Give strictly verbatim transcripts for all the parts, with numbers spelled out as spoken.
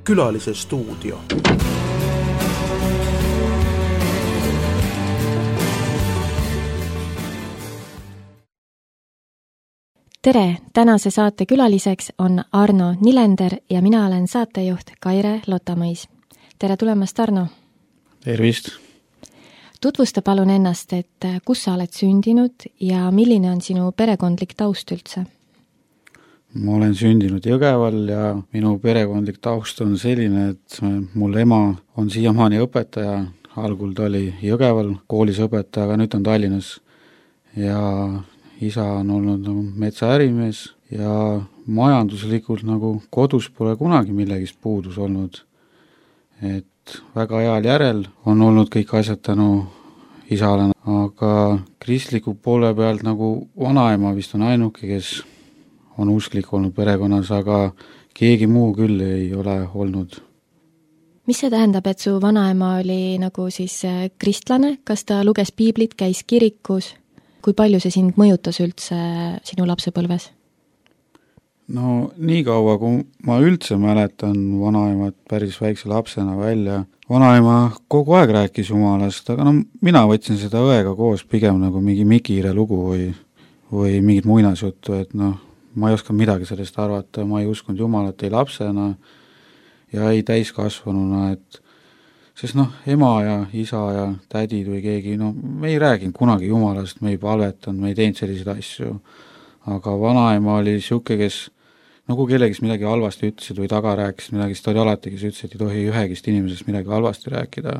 Külalise stuudio. Tere! Tänase saate külaliseks on Arno Nilender ja mina olen saatejuht Kaire Lotamõis. Tere tulemast, Arno! Tervist! Tutvusta palun ennast, et kus sa oled sündinud ja milline on sinu perekondlik taust üldse? Ma olen sündinud Jõgeval ja minu perekondlik taust on selline, et mul ema on siiamaani õpetaja. Algul ta oli Jõgeval koolis õpetaja, aga nüüd on Tallinnas. Ja isa on olnud nagu metsaärimees ja majanduslikult nagu kodus pole kunagi millegist puudus olnud. Et väga heal järel on olnud kõik asjad tänu isale, aga kristliku poole pealt nagu vanaema vist on ainuke, kes on usklik olnud perekonnas, aga keegi muu küll ei ole olnud. Mis see tähendab, et su vanaema oli nagu siis kristlane? Kas ta luges piiblit, käis kirikus? Kui palju see sind mõjutas üldse sinu lapsepõlves? No nii kaua, kui ma üldse mäletan vanaemat päris väikse lapsena välja. Vanaema kogu aeg rääkis jumalast, aga no mina võtsin seda õega koos pigem nagu mingi Mikire lugu või, või mingit muinasjuttu, et noh, ma ei oska midagi sellest arvata, ma ei uskunud jumalat ei lapsena ja ei täiskasvanuna, et sest noh, ema ja isa ja tädid või keegi, no me ei rääginud kunagi jumalast, me ei palvetanud, me ei teinud selliseid asju, aga vanaema oli siuke, kes nagu kellegist midagi halvasti ütlesid või taga rääkisid midagi, sest oli alati, kes ütles, et ei tohi ühegist inimesest midagi halvasti rääkida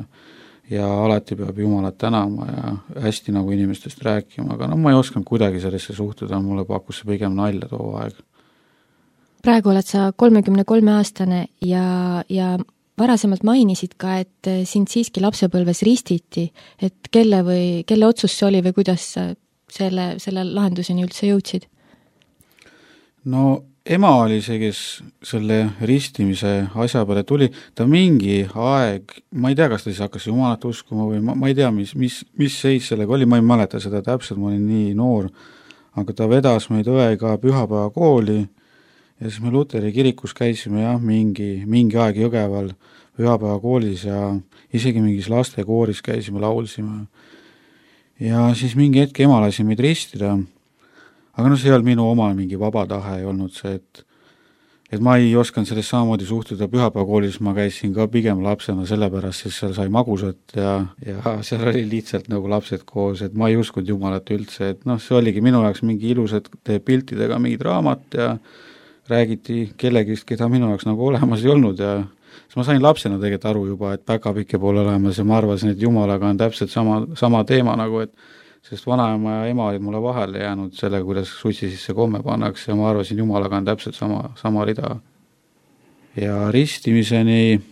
ja alati peab jumalat tänama ja hästi nagu inimestest rääkima, aga no ma ei osanud kuidagi sellesse suhtuda, mulle pakkus see pigem nalja too aeg. Praegu oled sa kolmekümne kolme aastane ja, ja varasemalt mainisid ka, et sind siiski lapsepõlves ristiti, et kelle või kelle otsus see oli või kuidas selle, selle lahenduseni üldse jõudsid? No ema oli see, kes selle ristimise asja peale tuli, ta mingi aeg, ma ei tea, kas ta siis hakkas jumalat uskuma või ma, ma ei tea, mis, mis, mis seis sellega oli, ma ei mäleta seda täpselt, ma olin nii noor, aga ta vedas meid õega pühapäeva kooli ja siis me Luteri kirikus käisime jah, mingi, mingi aeg Jõgeval pühapäeva koolis ja isegi mingis lastekooris käisime, laulsime. Ja siis mingi hetk ema lasi meid ristida. Aga no see ei olnud minu oma mingi vaba tahe, ei olnud see, et, et ma ei osanud sellest samamoodi suhtuda pühapäevakoolis, ma käisin ka pigem lapsena sellepärast, sest seal sai magusat ja, ja seal oli lihtsalt nagu lapsed koos, et ma ei uskunud jumalat üldse, et noh, see oligi minu jaoks mingi ilusad piltidega mingid raamat ja räägiti kellegist, keda minu jaoks nagu olemas ei olnud ja siis ma sain lapsena tegelikult aru juba, et päkapikke pole olemas ja ma arvasin, et jumalaga on täpselt sama, sama teema nagu, et sest vanaema ja ema olid mulle vahele jäänud sellega, kuidas sutsi sisse komme pannakse ja ma arvasin, jumalaga on täpselt sama, sama rida. Ja ristimiseni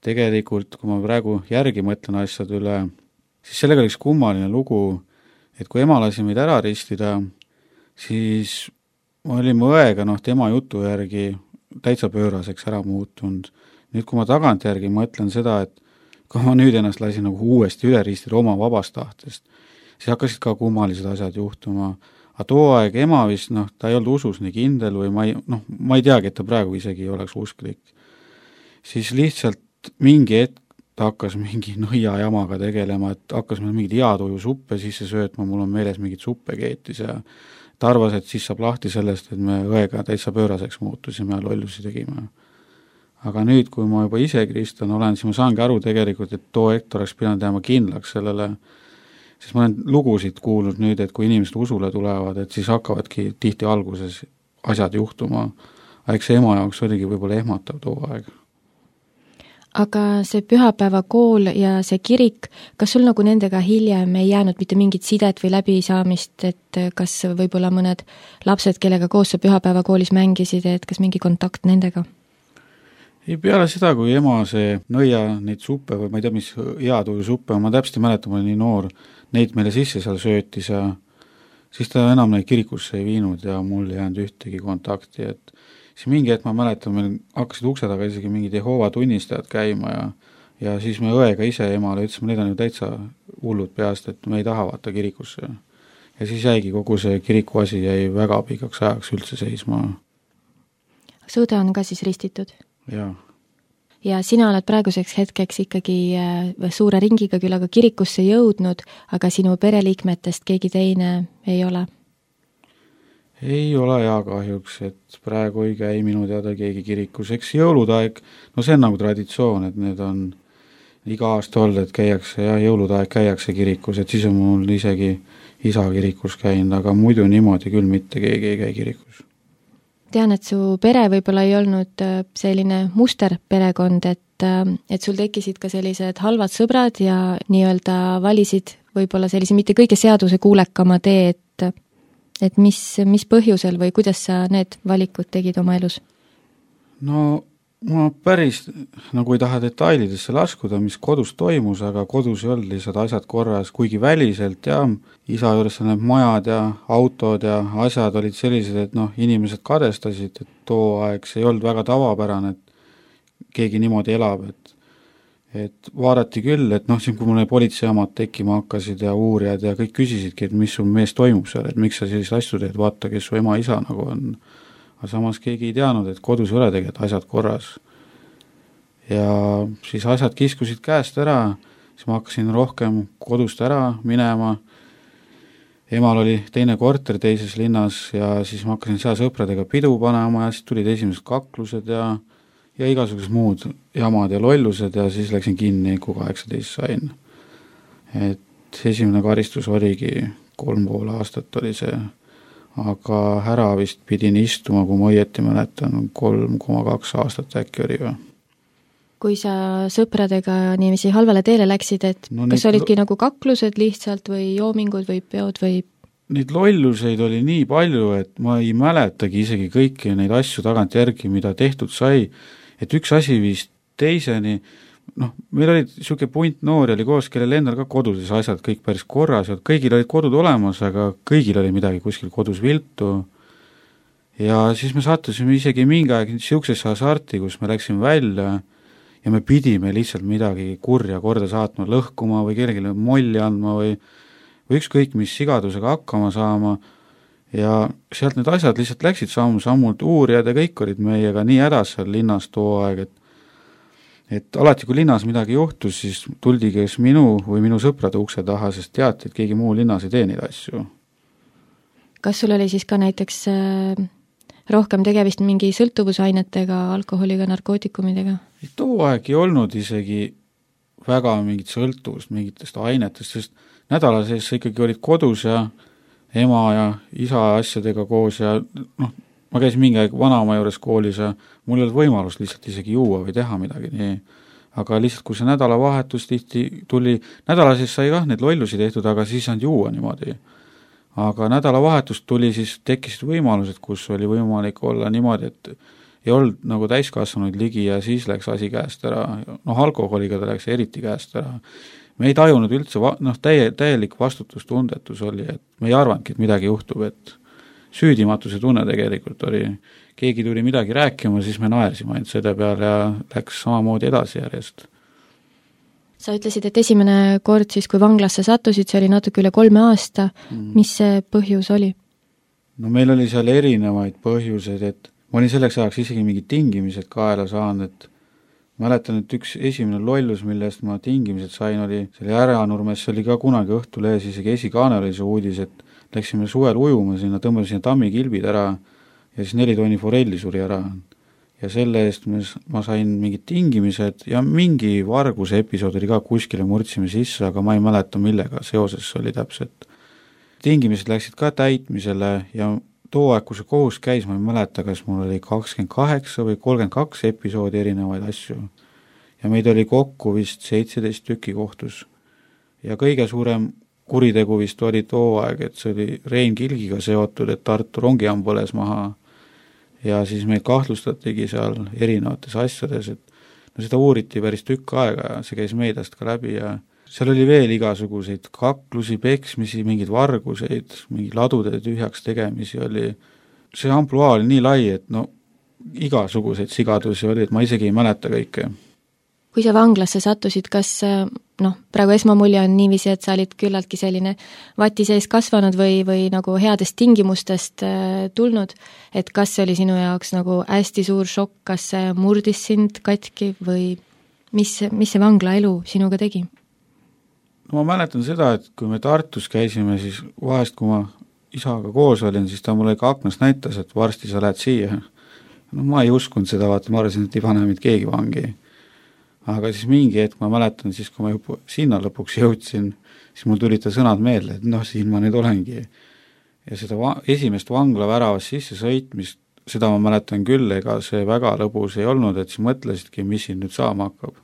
tegelikult, kui ma praegu järgi mõtlen asjad üle, siis sellega oli üks kummaline lugu, et kui ema lasi meid ära ristida, siis ma olin õega, noh, tema jutu järgi täitsa pööraseks ära muutunud. Nüüd, kui ma tagant järgi mõtlen seda, et kui ma nüüd ennast lasin nagu uuesti üle ristida oma vabast tahtest, siis hakkasid ka kummalised asjad juhtuma. Aga too aeg ema vist, noh, ta ei olnud usus nii kindel või ma ei, noh, ma ei teagi, et ta praegu isegi ei oleks usklik. Siis lihtsalt mingi hetk ta hakkas mingi nõia jamaga tegelema, et hakkas meil mingid heatuju suppe sisse söötma, mul on meeles mingid suppe keetis ja ta arvas, et siis saab lahti sellest, et me õega täitsa pööraseks muutusime ja lollusi tegime. Aga nüüd, kui ma juba ise kristlane olen, siis ma saangi aru tegelikult, et too hetk oleks pidanud jääma kindlaks sellele, siis ma olen lugusid kuulnud nüüd, et kui inimesed usule tulevad, et siis hakkavadki tihti alguses asjad juhtuma. Eks see ema jaoks oligi võib-olla ehmatav too aeg. Aga see pühapäeva kool ja see kirik, kas sul nagu nendega hiljem ei jäänud mitte mingit sidet või läbisaamist, et kas võib-olla mõned lapsed, kellega koos sa pühapäeva koolis mängisid, et kas mingi kontakt nendega? Ei peale seda, kui ema see nõia neid suppe või ma ei tea, mis heatuju suppe, ma täpselt ei mäleta, ma olin nii noor, neid meile sisse seal söötis ja siis ta enam neid kirikusse ei viinud ja mul ei jäänud ühtegi kontakti, et siis mingi hetk ma mäletan, meil hakkasid ukse taga isegi mingid Jehoova tunnistajad käima ja, ja siis me õega ise emale ütlesime, need on ju täitsa hullud peast, et me ei taha vaata kirikusse. Ja siis jäigi kogu see kiriku asi jäi väga pikaks ajaks üldse seisma. Suude on ka siis ristitud? Jaa. Ja sina oled praeguseks hetkeks ikkagi suure ringiga küll aga kirikusse jõudnud, aga sinu pereliikmetest keegi teine ei ole? Ei ole ja kahjuks, et praegu ei käi minu teada keegi kirikus. Eks jõulutaeg, no see on nagu traditsioon, et need on iga aasta olnud, et käiakse ja jõulutaeg käiakse kirikus, et siis on mul isegi isa kirikus käinud, aga muidu niimoodi küll mitte keegi ei käi kirikus. Tean, et su pere võib-olla ei olnud selline muster perekond, et, et sul tekkisid ka sellised halvad sõbrad ja nii-öelda valisid võib-olla sellise mitte kõige seaduse kuulekama tee, et, et mis, mis põhjusel või kuidas sa need valikud tegid oma elus? No ma päris nagu ei taha detailidesse laskuda, mis kodus toimus, aga kodus ei olnud lihtsalt asjad korras, kuigi väliselt ja isa juures need majad ja autod ja asjad olid sellised, et noh, inimesed kadestasid, et too aeg see ei olnud väga tavapärane, et keegi niimoodi elab, et et vaadati küll, et noh, siin kui mulle politseiamad tekkima hakkasid ja uurijad ja kõik küsisidki, et mis sul mees toimub seal, et miks sa sellised asju teed, vaata, kes su ema isa nagu on. Aga samas keegi ei teadnud, et kodus ei ole tegelikult asjad korras. Ja siis asjad kiskusid käest ära, siis ma hakkasin rohkem kodust ära minema. Emal oli teine korter teises linnas ja siis ma hakkasin seal sõpradega pidu panema ja siis tulid esimesed kaklused ja, ja igasugused muud jamad ja lollused ja siis läksin kinni, kui kaheksateist sain. Et esimene karistus oligi kolm pool aastat oli see, aga ära vist pidin istuma, kui ma õieti mäletan, kolm koma kaks aastat äkki oli või. Kui sa sõpradega niiviisi halvale teele läksid, et no kas neid... olidki nagu kaklused lihtsalt või joomingud või peod või? Neid lolluseid oli nii palju, et ma ei mäletagi isegi kõiki neid asju tagant järgi, mida tehtud sai, et üks asi viis teiseni, noh, meil oli niisugune punt noori oli koos, kellel endal ka kodudes asjad kõik päris korras, et kõigil olid kodud olemas, aga kõigil oli midagi kuskil kodus viltu. Ja siis me sattusime isegi mingi aeg niisugusesse hasarti, kus me läksime välja ja me pidime lihtsalt midagi kurja korda saatma, lõhkuma või kellelegi molli andma või, või ükskõik mis sigadusega hakkama saama. Ja sealt need asjad lihtsalt läksid samm-sammult, uurijad ja kõik olid meiega nii hädas seal linnas too aeg, et et alati, kui linnas midagi juhtus, siis tuldi kes minu või minu sõprade ukse taha, sest teati, et keegi muu linnas ei tee neid asju. Kas sul oli siis ka näiteks rohkem tegevist mingi sõltuvusainetega, alkoholiga, narkootikumidega? Too aeg ei olnud isegi väga mingit sõltuvust mingitest ainetest, sest nädala sees sa ikkagi olid kodus ja ema ja isa asjadega koos ja noh, ma käisin mingi aeg vanaema juures koolis ja mul ei olnud võimalust lihtsalt isegi juua või teha midagi nii. Aga lihtsalt, kui see nädalavahetus tihti tuli, nädala sees sai kah need lollusi tehtud, aga siis saanud juua niimoodi. Aga nädalavahetust tuli, siis tekkisid võimalused, kus oli võimalik olla niimoodi, et ei olnud nagu täiskasvanuid ligi ja siis läks asi käest ära. Noh, alkoholiga ta läks eriti käest ära. Me ei tajunud üldse, noh, täie, täielik vastutustundetus oli, et me ei arvanudki, et midagi juhtub, et süüdimatuse tunne tegelikult oli, keegi tuli midagi rääkima, siis me naersime ainult selle peale ja läks samamoodi edasi järjest. Sa ütlesid, et esimene kord siis, kui vanglasse sattusid, see oli natuke üle kolme aasta. Mm. Mis see põhjus oli? No meil oli seal erinevaid põhjuseid, et ma olin selleks ajaks isegi mingid tingimised kaela saanud, et mäletan, et üks esimene lollus, millest ma tingimised sain, oli selle Äranurmes, see oli ka kunagi Õhtulehes, isegi esikaane oli see uudis, et läksime suvel ujuma sinna, tõmbame sinna tammikilbid ära ja siis neli tonni forelli suri ära. Ja selle eest ma sain mingid tingimised ja mingi varguse episood oli ka kuskile murdsime sisse, aga ma ei mäleta, millega seoses oli täpselt. Tingimised läksid ka täitmisele ja too aeg, kui see kohus käis, ma ei mäleta, kas mul oli kakskümmend kaheksa või kolmkümmend kaks episoodi erinevaid asju. Ja meid oli kokku vist seitseteist tüki kohtus. Ja kõige suurem kuritegu vist oli too aeg, et see oli Rein Kilgiga seotud, et Tartu rongijaam põles maha ja siis meid kahtlustatigi seal erinevates asjades, et no seda uuriti päris tükk aega ja see käis meediast ka läbi ja seal oli veel igasuguseid kaklusi, peksmisi, mingeid varguseid, mingi ladude tühjaks tegemisi oli. See ampluaa oli nii lai, et no igasuguseid sigadusi oli, et ma isegi ei mäleta kõike. Kui sa vanglasse sattusid, kas noh, praegu esmamulje on niiviisi, et sa olid küllaltki selline vati sees kasvanud või, või nagu headest tingimustest äh, tulnud, et kas see oli sinu jaoks nagu hästi suur šokk, kas see murdis sind katki või mis, mis see vangla elu sinuga tegi? No ma mäletan seda, et kui me Tartus käisime, siis vahest, kui ma isaga koos olin, siis ta mulle ikka aknast näitas, et varsti sa lähed siia. No ma ei uskunud seda, vaata, ma arvasin, et ei pane mind keegi vangi. Aga siis mingi hetk ma mäletan, siis kui ma juba sinna lõpuks jõudsin, siis mul tulid ta sõnad meelde, et noh, siin ma nüüd olengi. Ja seda va- esimest vangla väravast sisse sõitmist, seda ma mäletan küll, ega see väga lõbus ei olnud, et siis mõtlesidki, mis siin nüüd saama hakkab.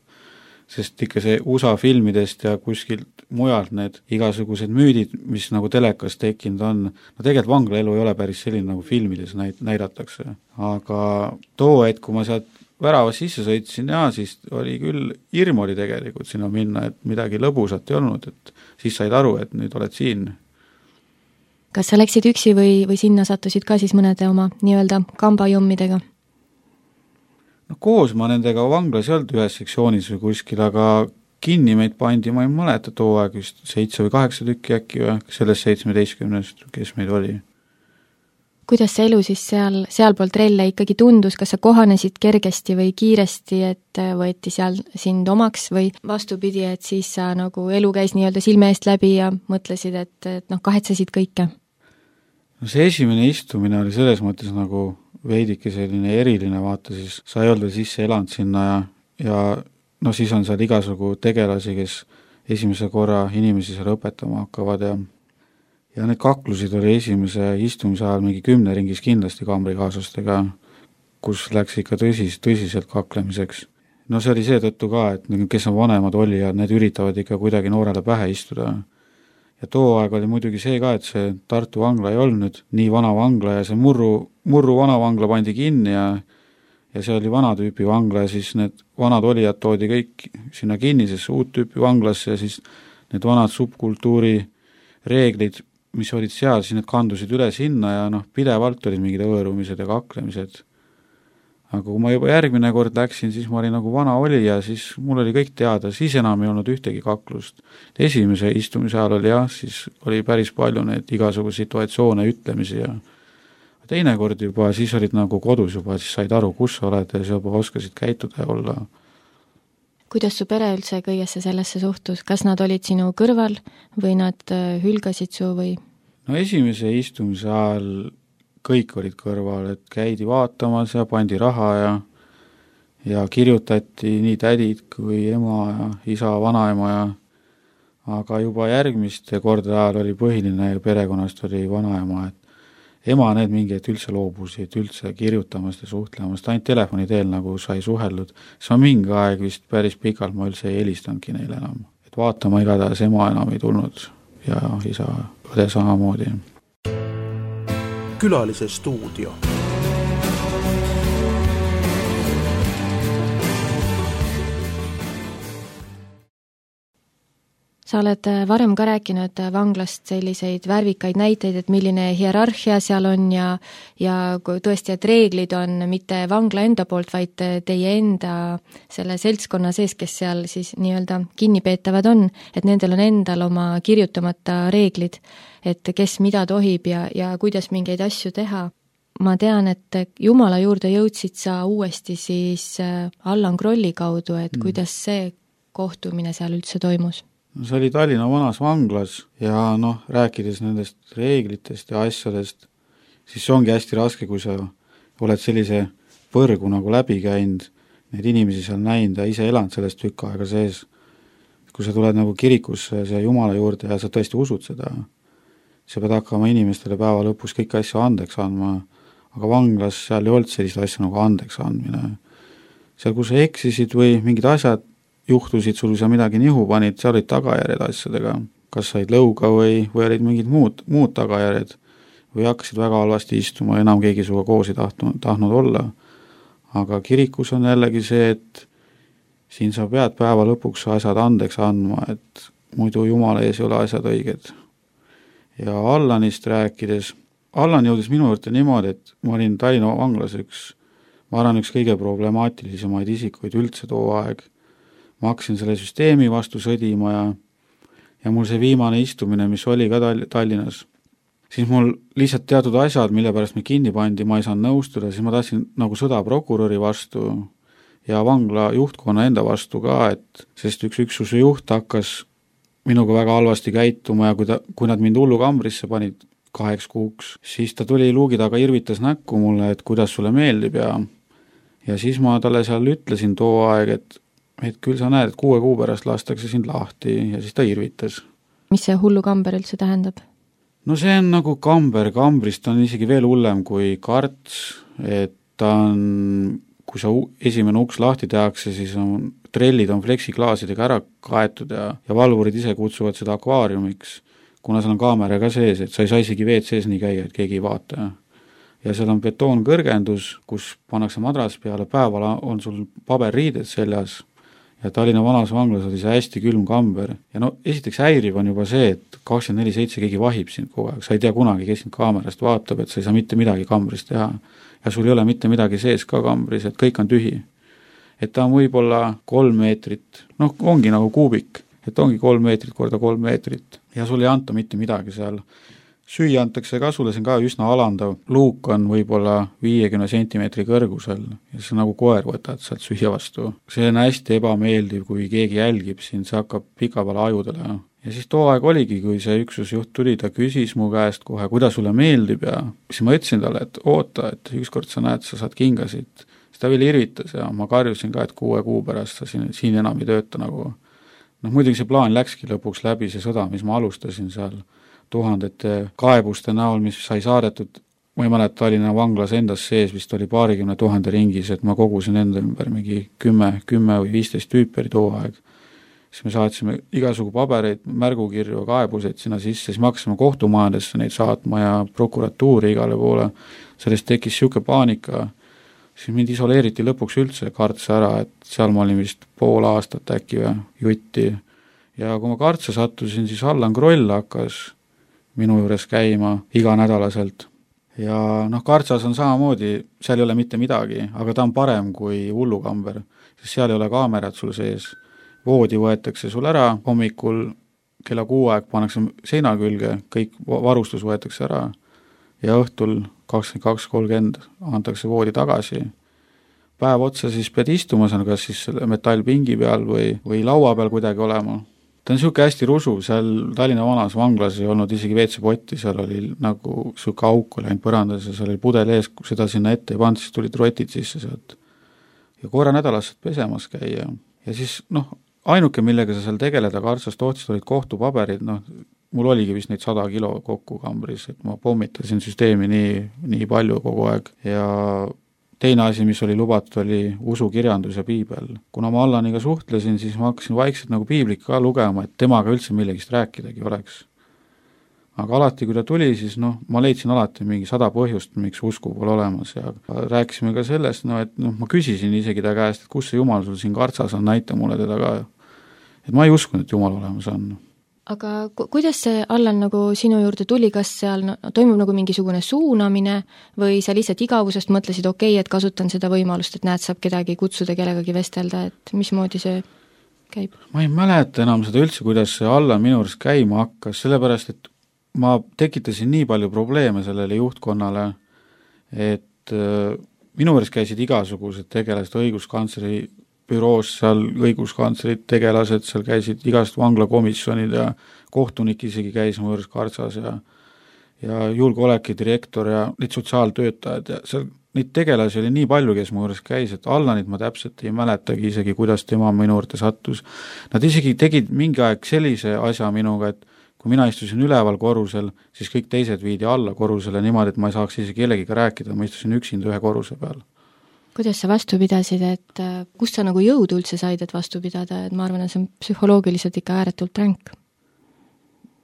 Sest ikka see U S A filmidest ja kuskilt mujalt need igasugused müüdid, mis nagu telekas tekkinud on, no tegelikult vanglaelu ei ole päris selline, nagu filmides näit- näidatakse. Aga too hetk, kui ma sealt väravas sisse sõitsin, ja siis oli küll, hirm oli tegelikult sinna minna, et midagi lõbusat ei olnud, et siis said aru, et nüüd oled siin. Kas sa läksid üksi või, või sinna sattusid ka siis mõnede oma nii-öelda kambajommidega? No koos ma nendega vanglas ei olnud ühes sektsioonis või kuskil, aga kinni meid pandi, ma ei mäleta too aeg vist seitse või kaheksa tükki äkki või sellest seitsmeteistkümnest, kes meid oli. Kuidas see elu siis seal, sealpool trelle ikkagi tundus, kas sa kohanesid kergesti või kiiresti, et võeti seal sind omaks või vastupidi, et siis sa nagu elu käis nii-öelda silme eest läbi ja mõtlesid, et, et noh, kahetsesid kõike? No see esimene istumine oli selles mõttes nagu veidike selline eriline, vaata siis sa ei olnud sisse elanud sinna ja, ja no siis on seal igasugu tegelasi, kes esimese korra inimesi seal õpetama hakkavad ja ja need kaklusid oli esimese istumise ajal mingi kümne ringis kindlasti kaamrikaaslastega, kus läks ikka tõsis, tõsiselt kaklemiseks. No see oli seetõttu ka, et kes on vanemad olijad, need üritavad ikka kuidagi noorele pähe istuda. Ja too aeg oli muidugi see ka, et see Tartu vangla ei olnud nii vana vangla ja see murru, murru vana vangla pandi kinni ja, ja see oli vana tüüpi vangla ja siis need vanad olijad toodi kõik sinna kinnisesse uut tüüpi vanglasse ja siis need vanad subkultuuri reeglid, mis olid seal, siis need kandusid üle sinna ja noh, pidevalt olid mingid õõrumised ja kaklemised. Aga kui ma juba järgmine kord läksin, siis ma olin nagu vana oli ja siis mul oli kõik teada, siis enam ei olnud ühtegi kaklust. Esimese istumise ajal oli jah, siis oli päris palju need igasugu situatsioone, ütlemisi ja teine kord juba, siis olid nagu kodus juba, siis said aru, kus sa oled ja siis juba oskasid käituda ja olla. Kuidas su pere üldse kõigesse sellesse suhtus? Kas nad olid sinu kõrval või nad hülgasid su või? No esimese istumise ajal kõik olid kõrval, et käidi vaatamas ja pandi raha ja ja kirjutati nii tädid kui ema ja isa, vanaema ja aga juba järgmiste kordade ajal oli põhiline ja perekonnast oli vanaema, et ema need mingi, et üldse loobusid üldse kirjutamast ja suhtlemast, ainult telefoni teel nagu sai suheldud. See on mingi aeg vist päris pikalt ma üldse ei helistanudki neile enam. Et vaatama igatahes ema enam ei tulnud ja isa õde samamoodi. Külalise stuudio. Sa oled varem ka rääkinud vanglast selliseid värvikaid näiteid, et milline hierarhia seal on ja, ja tõesti, et reeglid on mitte vangla enda poolt, vaid teie enda selle seltskonna sees, kes seal siis nii-öelda kinnipeetavad on, et nendel on endal oma kirjutamata reeglid, et kes mida tohib ja, ja kuidas mingeid asju teha. Ma tean, et Jumala juurde jõudsid sa uuesti siis Allan Krolli kaudu, et mm. kuidas see kohtumine seal üldse toimus? See oli Tallinna vanas vanglas ja noh, rääkides nendest reeglitest ja asjadest, siis see ongi hästi raske, kui sa oled sellise põrgu nagu läbi käinud, neid inimesi seal näinud ja ise elanud sellest tükk aega sees. Kui sa tuled nagu kirikusse ja Jumala juurde ja sa tõesti usud seda, sa pead hakkama inimestele päeva lõpus kõik asju andeks andma, aga vanglas seal ei olnud sellist asja nagu andeks andmine. Seal, kui sa eksisid või mingid asjad juhtusid, sul sa midagi nihu panid, seal olid tagajärjed asjadega, kas said lõuga või, või olid mingid muud, muud tagajärjed või hakkasid väga halvasti istuma, enam keegi suga koos ei tahtnud, tahtnud olla. Aga kirikus on jällegi see, et siin sa pead päeva lõpuks asjad andeks andma, et muidu Jumala ees ei ole asjad õiged. Ja Allanist rääkides, Allan jõudis minu juurde niimoodi, et ma olin Tallinna vanglas üks, ma arvan, üks kõige problemaatilisemaid isikuid üldse too aeg. ma hakkasin selle süsteemi vastu sõdima ja ja mul see viimane istumine, mis oli ka Tall- Tallinnas, siis mul lihtsalt teatud asjad, mille pärast me kinni pandi, ma ei saanud nõustuda, siis ma tahtsin nagu sõda prokuröri vastu ja vangla juhtkonna enda vastu ka, et sest üks üksuse juht hakkas minuga väga halvasti käituma ja kui, ta, kui nad mind hullu kambrisse panid kaheks kuuks, siis ta tuli luugi taga, irvitas näkku mulle, et kuidas sulle meeldib ja ja siis ma talle seal ütlesin too aeg, et et küll sa näed, et kuue kuu pärast lastakse sind lahti ja siis ta irvitas. Mis see hullu kamber üldse tähendab? No see on nagu kamber, kambrist on isegi veel hullem kui karts, et ta on, kui sa esimene uks lahti tehakse, siis on, trellid on fleksiklaasidega ära kaetud ja, ja valvurid ise kutsuvad seda akvaariumiks, kuna seal on kaamera ka sees, et sa ei saa isegi veed sees nii käia, et keegi ei vaata. Ja seal on betoonkõrgendus, kus pannakse madras peale, päeval on sul paberriided seljas, ja Tallinna vanas vanglas oli see hästi külm kamber. Ja no esiteks häiriv on juba see, et kakskümmend neli seitse keegi vahib sind kogu aeg, sa ei tea kunagi, kes sind kaamerast vaatab, et sa ei saa mitte midagi kambris teha. Ja sul ei ole mitte midagi sees ka kambris, et kõik on tühi. Et ta on võib-olla kolm meetrit, noh, ongi nagu kuubik, et ongi kolm meetrit korda kolm meetrit. Ja sul ei anta mitte midagi seal. Süüa antakse ka, sulle see on ka üsna alandav. Luuk on võib-olla viiekümne sentimeetri kõrgusel ja see nagu koer võtad sealt süüa vastu. See on hästi ebameeldiv, kui keegi jälgib sind, see hakkab pika peale ajudele. Ja siis too aeg oligi, kui see üksusjuht tuli, ta küsis mu käest kohe, kuidas sulle meeldib ja siis ma ütlesin talle, et oota, et ükskord sa näed, sa saad kingasid. Siis ta veel irvitas ja ma karjusin ka, et kuue kuu pärast sa siin, siin enam ei tööta nagu. Noh, muidugi see plaan läkski lõpuks läbi, see sõda, mis ma alustasin seal tuhandete kaebuste näol, mis sai saadetud, ma ei mäleta, Tallinna vanglas endas sees vist oli paarikümne tuhande ringis, et ma kogusin enda ümber mingi kümme, kümme või viisteist tüüperi too aeg. Siis me saatsime igasugu pabereid, märgukirju, kaebuseid sinna sisse, siis me hakkasime kohtumajadesse neid saatma ja prokuratuuri igale poole. Sellest tekkis siuke paanika, siis mind isoleeriti lõpuks üldse kartsa ära, et seal ma olin vist pool aastat äkki või jutti. Ja kui ma kartsa sattusin, siis Allan Kroll hakkas minu juures käima iganädalaselt. Ja noh, kartsas on samamoodi, seal ei ole mitte midagi, aga ta on parem kui hullukamber, sest seal ei ole kaamerat sul sees. Voodi võetakse sul ära, hommikul kella kuu aeg pannakse seina külge, kõik varustus võetakse ära ja õhtul kakskümmend kaks kolmkümmend antakse voodi tagasi. Päev otsa siis pead istuma, see on kas siis metallpingi peal või, või laua peal kuidagi olema. Ta on siuke hästi rusu, seal Tallinna vanas vanglas ei olnud isegi veetsepotti, seal oli nagu siuke auk oli ainult põrandas ja seal oli pudel ees, kui seda sinna ette ei pand, siis tulid rotid sisse sealt. Ja korra nädalas saad pesemas käia. Ja siis, noh, ainuke, millega sa seal tegeleda kartsast otsist olid kohtupaberid, noh, mul oligi vist neid sada kilo kokku kambris, et ma pommitasin süsteemi nii, nii palju kogu aeg ja teine asi, mis oli lubatud, oli usukirjandus ja piibel. Kuna ma Allaniga suhtlesin, siis ma hakkasin vaikselt nagu piiblit ka lugema, et temaga üldse millegist rääkidagi oleks. Aga alati, kui ta tuli, siis noh, ma leidsin alati mingi sada põhjust, miks usku pole olemas ja rääkisime ka sellest, no, et noh, ma küsisin isegi ta käest, et kus see Jumal sul siin kartsas on, näita mulle teda ka. Et ma ei uskunud, et Jumal olemas on. Aga ku- kuidas see Allan nagu sinu juurde tuli, kas seal no, toimub nagu mingisugune suunamine või sa lihtsalt igavusest mõtlesid, okei, okay, et kasutan seda võimalust, et näed, saab kedagi kutsuda, kellegagi vestelda, et mismoodi see käib? Ma ei mäleta enam seda üldse, kuidas see Allan minu juures käima hakkas, sellepärast, et ma tekitasin nii palju probleeme sellele juhtkonnale, et äh, minu juures käisid igasugused tegelased, õiguskantsleri büroos, seal õiguskantslerid, tegelased, seal käisid igast vanglakomisjonid ja kohtunik isegi käis mu juures kartsas ja ja julgeoleki direktor ja neid sotsiaaltöötajad ja seal neid tegelasi oli nii palju, kes mu juures käis, et Allanit ma täpselt ei mäletagi isegi, kuidas tema minu juurde sattus. Nad isegi tegid mingi aeg sellise asja minuga, et kui mina istusin üleval korrusel, siis kõik teised viidi alla korrusele niimoodi, et ma ei saaks isegi kellegiga rääkida, ma istusin üksinda ühe korruse peal. Kuidas sa vastu pidasid, et kust sa nagu jõudu üldse said, et vastu pidada, et ma arvan, et see on psühholoogiliselt ikka ääretult ränk?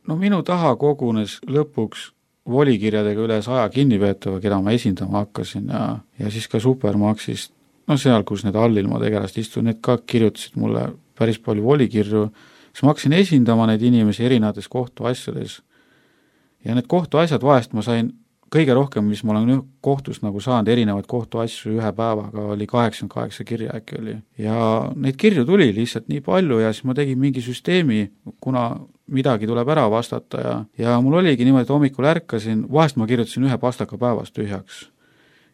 No minu taha kogunes lõpuks volikirjadega üle saja kinnipeetava, keda ma esindama hakkasin ja, ja siis ka Supermaxist, no seal, kus need allilma tegelast istuvad, need ka kirjutasid mulle päris palju volikirju, siis ma hakkasin esindama neid inimesi erinevates kohtuasjades ja need kohtuasjad vahest ma sain kõige rohkem, mis ma olen kohtust nagu saanud, erinevaid kohtuasju ühe päevaga, oli kaheksakümmend kaheksa kirja äkki oli. Ja neid kirju tuli lihtsalt nii palju ja siis ma tegin mingi süsteemi, kuna midagi tuleb ära vastata ja, ja mul oligi niimoodi, et hommikul ärkasin, vahest ma kirjutasin ühe pastaka päevas tühjaks.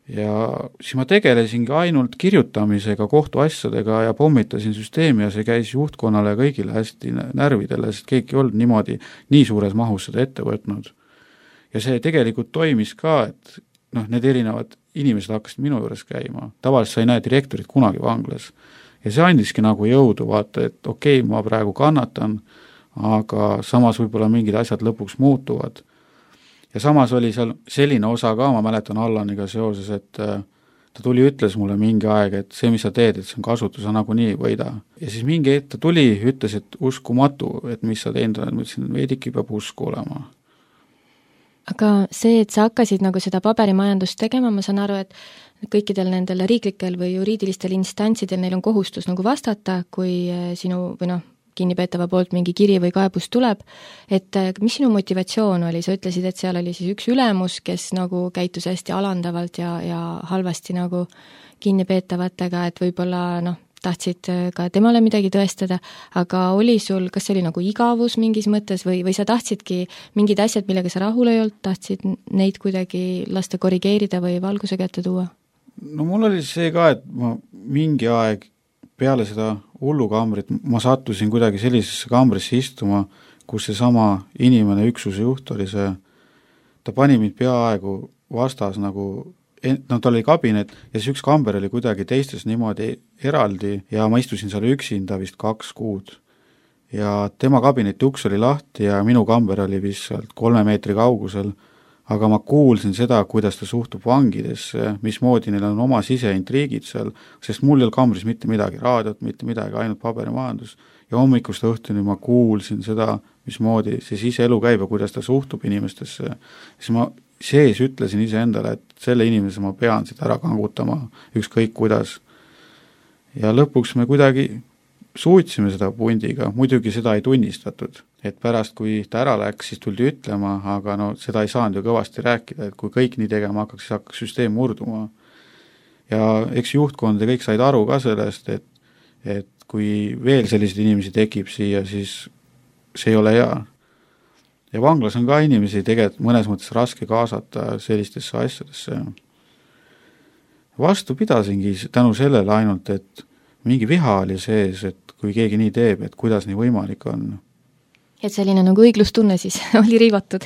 Ja siis ma tegelesingi ainult kirjutamisega, kohtuasjadega ja pommitasin süsteemi ja see käis juhtkonnale ja kõigile hästi närvidele, sest keegi ei olnud niimoodi nii suures mahus seda ette võtnud. Ja see tegelikult toimis ka, et noh, need erinevad inimesed hakkasid minu juures käima. Tavaliselt sa ei näe direktorit kunagi vanglas. Ja see andiski nagu jõudu vaata, et okei, ma praegu kannatan, aga samas võib-olla mingid asjad lõpuks muutuvad. Ja samas oli seal selline osa ka, ma mäletan Allaniga seoses, et ta tuli, ütles mulle mingi aeg, et see, mis sa teed, et see on kasutus, sa nagu nii võida. Ja siis mingi hetk ta tuli, ütles, et uskumatu, et mis sa teinud oled, ma ütlesin, et veidiki peab usku olema. Aga see, et sa hakkasid nagu seda paberimajandust tegema, ma saan aru, et kõikidel nendel riiklikel või juriidilistel instantsidel neil on kohustus nagu vastata, kui sinu või noh, kinnipeetava poolt mingi kiri või kaebus tuleb, et mis sinu motivatsioon oli? Sa ütlesid, et seal oli siis üks ülemus, kes nagu käitus hästi alandavalt ja, ja halvasti nagu kinnipeetavatega, et võib-olla noh, tahtsid ka temale midagi tõestada, aga oli sul, kas see oli nagu igavus mingis mõttes või, või sa tahtsidki mingid asjad, millega sa rahul ei olnud, tahtsid neid kuidagi lasta korrigeerida või valguse kätte tuua? No mul oli see ka, et ma mingi aeg peale seda hullukambrit ma sattusin kuidagi sellisesse kambrisse istuma, kus see sama inimene, üksuse juht oli see, ta pani mind peaaegu vastas nagu, no tal oli kabinet ja siis üks kamber oli kuidagi teistes niimoodi eraldi ja ma istusin seal üksinda vist kaks kuud. Ja tema kabineti uks oli lahti ja minu kamber oli vist sealt kolme meetri kaugusel, aga ma kuulsin seda, kuidas ta suhtub vangidesse, mismoodi neil on oma siseintriigid seal, sest mul ei olnud kambris mitte midagi, raadiot, mitte midagi, ainult paberimajandus. Ja hommikust õhtuni ma kuulsin seda, mismoodi see siseelu käib ja kuidas ta suhtub inimestesse. Siis ma sees ütlesin ise endale, et selle inimese ma pean siit ära kangutama, ükskõik kuidas. Ja lõpuks me kuidagi suutsime seda pundiga, muidugi seda ei tunnistatud. Et pärast, kui ta ära läks, siis tuldi ütlema, aga no seda ei saanud ju kõvasti rääkida, et kui kõik nii tegema hakkaks, siis hakkaks süsteem murduma. Ja eks juhtkond ja kõik said aru ka sellest, et, et kui veel selliseid inimesi tekib siia, siis see ei ole hea. Ja vanglas on ka inimesi tegelikult mõnes mõttes raske kaasata sellistesse asjadesse. Vastu pidasingi tänu sellele ainult, et mingi viha oli sees, et kui keegi nii teeb, et kuidas nii võimalik on. Et selline nagu õiglustunne siis oli riivatud?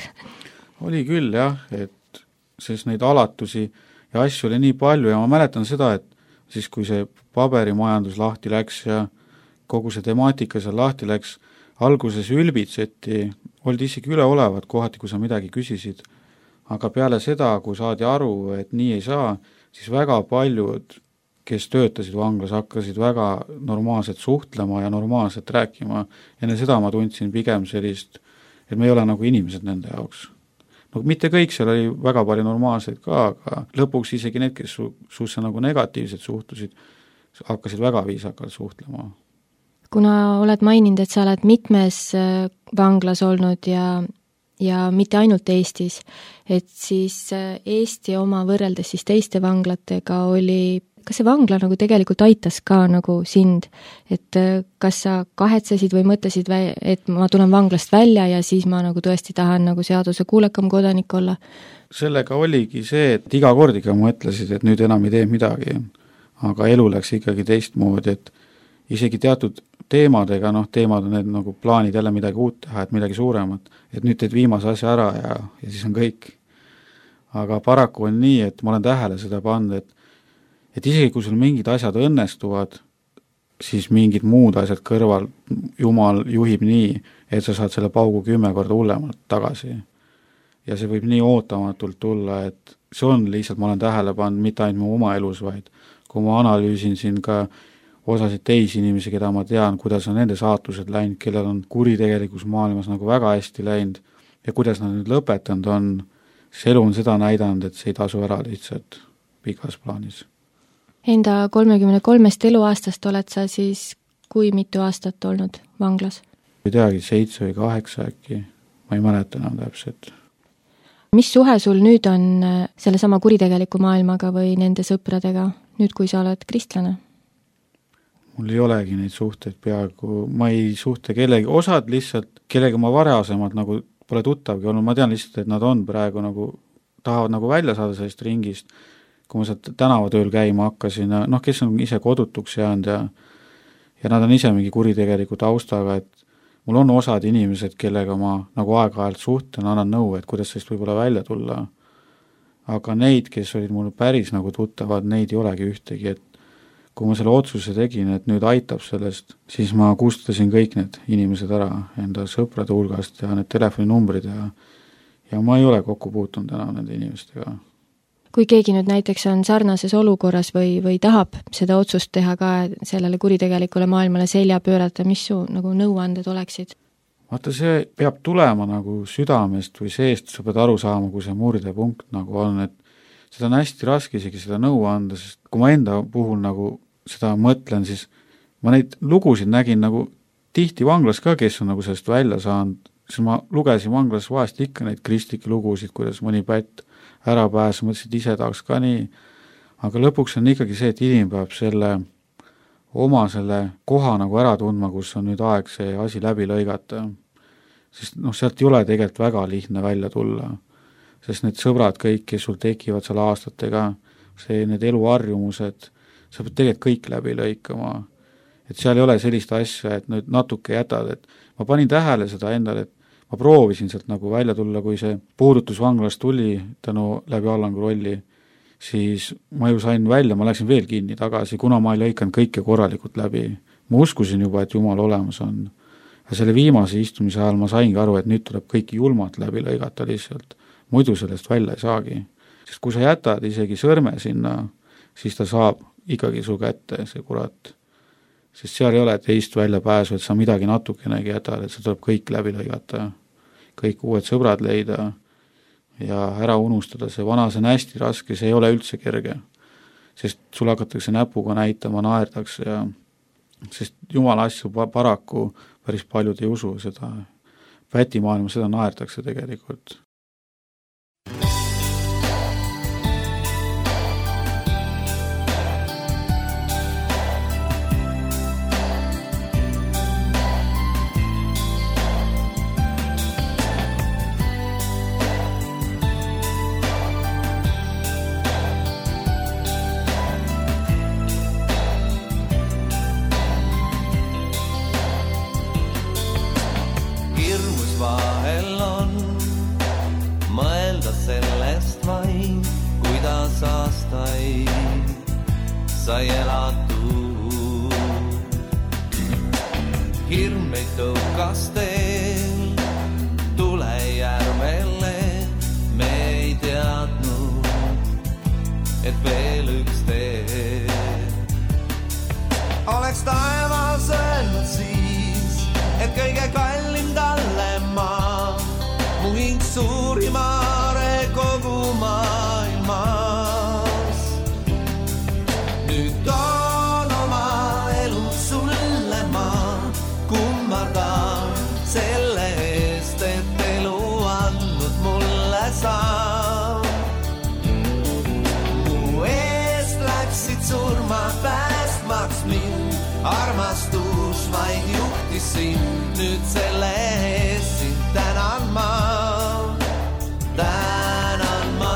Oli küll jah, et sest neid alatusi ja asju oli nii palju ja ma mäletan seda, et siis kui see paberimajandus lahti läks ja kogu see temaatika seal lahti läks, alguses ülbitseti, olid isegi üleolevad kohati, kui sa midagi küsisid, aga peale seda, kui saadi aru, et nii ei saa, siis väga paljud, kes töötasid vanglas, hakkasid väga normaalselt suhtlema ja normaalselt rääkima. Enne seda ma tundsin pigem sellist, et me ei ole nagu inimesed nende jaoks. No mitte kõik, seal oli väga palju normaalseid ka, aga lõpuks isegi need, kes su, suusse nagu negatiivselt suhtusid, hakkasid väga viisakalt suhtlema. Kuna oled maininud, et sa oled mitmes vanglas olnud ja, ja mitte ainult Eestis, et siis Eesti oma võrreldes siis teiste vanglatega oli, kas see vangla nagu tegelikult aitas ka nagu sind, et kas sa kahetsesid või mõtlesid, et ma tulen vanglast välja ja siis ma nagu tõesti tahan nagu seaduse kuulekam kodanik olla? Sellega oligi see, et iga kord ikka mõtlesid, et nüüd enam ei tee midagi, aga elu läks ikkagi teistmoodi, et isegi teatud teemadega, noh, teemad on need nagu plaanid jälle midagi uut teha, et midagi suuremat, et nüüd teed viimase asja ära ja, ja siis on kõik. Aga paraku on nii, et ma olen tähele seda pannud, et et isegi kui sul mingid asjad õnnestuvad, siis mingid muud asjad kõrval Jumal juhib nii, et sa saad selle paugu kümme korda hullemalt tagasi. Ja see võib nii ootamatult tulla, et see on lihtsalt, ma olen tähele pannud mitte ainult mu oma elus, vaid kui ma analüüsin siin ka osasid teisi inimesi, keda ma tean, kuidas on nende saatused läinud, kellel on kuritegelikus maailmas nagu väga hästi läinud ja kuidas nad nüüd lõpetanud on, see elu on seda näidanud, et see ei tasu ära lihtsalt pikas plaanis. Enda kolmekümne kolmest eluaastast oled sa siis kui mitu aastat olnud vanglas? Ei teagi, seitse või kaheksa äkki, ma ei mäleta enam täpselt. mis suhe sul nüüd on selle sama kuritegeliku maailmaga või nende sõpradega, nüüd kui sa oled kristlane? Mul ei olegi neid suhteid peaaegu, ma ei suhte kellegi, osad lihtsalt, kellega ma varasemalt nagu pole tuttavgi olnud, ma tean lihtsalt, et nad on praegu nagu, tahavad nagu välja saada sellest ringist, kui ma sealt tänavatööl käima hakkasin, noh, kes on ise kodutuks jäänud ja ja nad on ise mingi kuritegeliku taustaga, et mul on osad inimesed, kellega ma nagu aeg-ajalt suhtlen, annan nõu, et kuidas sellest võib-olla välja tulla. Aga neid, kes olid mul päris nagu tuttavad, neid ei olegi ühtegi, et kui ma selle otsuse tegin, et nüüd aitab sellest, siis ma kustutasin kõik need inimesed ära enda sõprade hulgast ja need telefoninumbrid ja, ja ma ei ole kokku puutunud enam nende inimestega. Kui keegi nüüd näiteks on sarnases olukorras või, või tahab seda otsust teha ka sellele kuritegelikule maailmale selja pöörata, mis su nagu nõuanded oleksid? Vaata, see peab tulema nagu südamest või seest, sa pead aru saama, kui see murdepunkt nagu on, et seda on hästi raske isegi seda nõu anda, sest kui ma enda puhul nagu seda mõtlen, siis ma neid lugusid nägin nagu tihti vanglas ka, kes on nagu sellest välja saanud, siis ma lugesin vanglas vahest ikka neid kristlikke lugusid, kuidas mõni pätt ära pääs, mõtlesin, et ise tahaks ka nii, aga lõpuks on ikkagi see, et inimene peab selle oma selle koha nagu ära tundma, kus on nüüd aeg see asi läbi lõigata, sest noh, sealt ei ole tegelikult väga lihtne välja tulla, sest need sõbrad kõik, kes sul tekivad seal aastatega, see, need eluharjumused, sa pead tegelikult kõik läbi lõikama, et seal ei ole sellist asja, et nüüd natuke jätad, et ma panin tähele seda endale, et ma proovisin sealt nagu välja tulla, kui see puudutus vanglast tuli tänu läbi Allangu rolli, siis ma ju sain välja, ma läksin veel kinni tagasi, kuna ma ei lõikanud kõike korralikult läbi. Ma uskusin juba, et Jumal olemas on. Ja selle viimase istumise ajal ma saingi aru, et nüüd tuleb kõiki julmalt läbi lõigata lihtsalt. Muidu sellest välja ei saagi. Sest kui sa jätad isegi sõrme sinna, siis ta saab ikkagi su kätte, see kurat. Sest seal ei ole teist välja pääsu, et sa midagi natukenegi jätad, et sa tuleb kõik läbi lõigata, kõik uued sõbrad leida ja ära unustada, see vana, see on hästi raske, see ei ole üldse kerge, sest sul hakatakse näpuga näitama, naerdakse ja sest Jumala asju paraku päris paljud ei usu seda, pätimaailma seda naerdakse tegelikult. sai elatud. Hirm meid tõukas teel tulejärvele, me ei teadnud, et veel üks tee. Oleks taevas öelnud siis, et kõige kallim talle maa, mu hing suurimare kogu maailmas. Nüüd toon oma elu sulle ma kummardan selle eest, et elu andnud mulle saab. Mu eest läksid surma päästmaks mind, armastus vaid juhtis sind, nüüd selle eest sind tänan ma, tänan ma.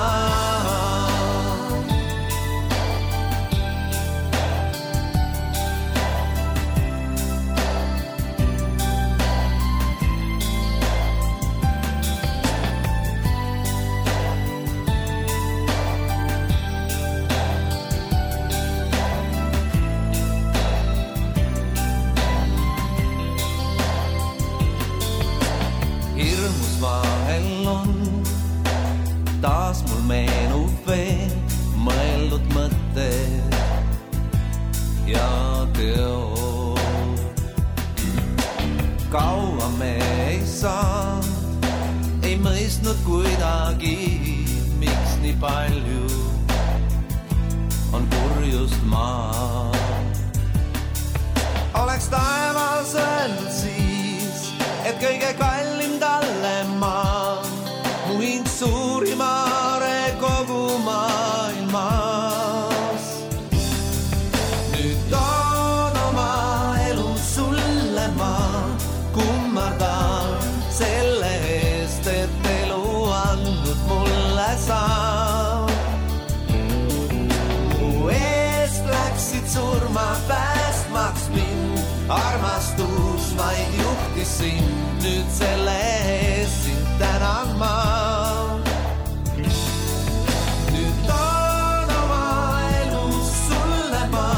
Taas mul meenub veel mõeldud mõtted ja teod. Kaua me ei saanud, ei mõistnud kuidagi, miks nii palju on kurjust maa. Oleks taevas öelnud siis, et kõige kallim talle maa, mu hing suurim surma päästmaks mind, armastus vaid juhtis sind, nüüd selle eest sind tänan ma. Nüüd toon oma elus sulle ma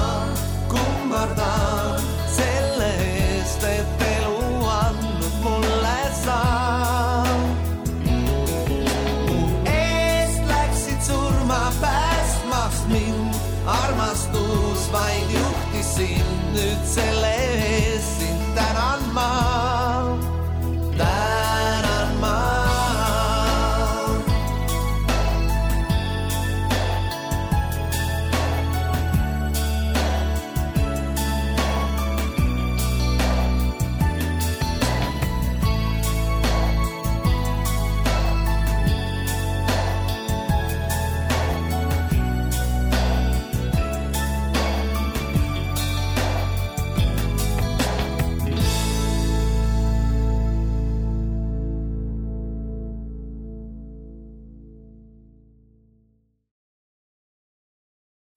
kummardan selle eest, et elu andnud mulle saa. Mu eest läksid surma päästmaks mind, armastus vaid juhtis sind, nüüd selle eest sind tänan ma, tänan ma.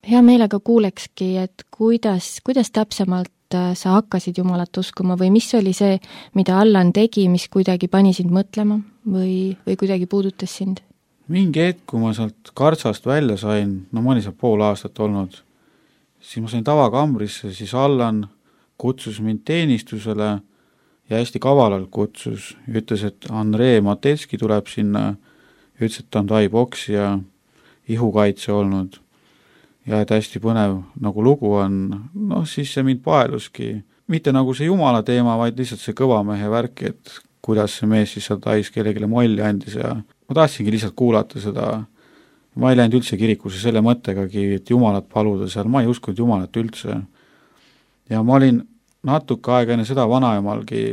Hea meelega kuulekski, et kuidas, kuidas täpsemalt sa hakkasid Jumalat uskuma või mis oli see, mida Allan tegi, mis kuidagi pani sind mõtlema või, või kuidagi puudutas sind? Mingi hetk, kui ma sealt kartsast välja sain, no ma olin seal pool aastat olnud, siis ma sain tavakambrisse, siis Allan kutsus mind teenistusele ja hästi kavalalt kutsus, ütles, et Andrei Matetski tuleb sinna, ütles, et ta on taiboksi ja ihukaitse olnud. Ja et hästi põnev nagu lugu on, noh siis see mind paeluski, mitte nagu see Jumala teema, vaid lihtsalt see kõva mehe värk, et kuidas see mees siis seal tais kellegile molli andis ja ma tahtsingi lihtsalt kuulata seda. Ma ei läinud üldse kirikusse selle mõttegagi, et Jumalat paluda seal, ma ei uskunud Jumalat üldse. Ja ma olin natuke aega enne seda vanaemalgi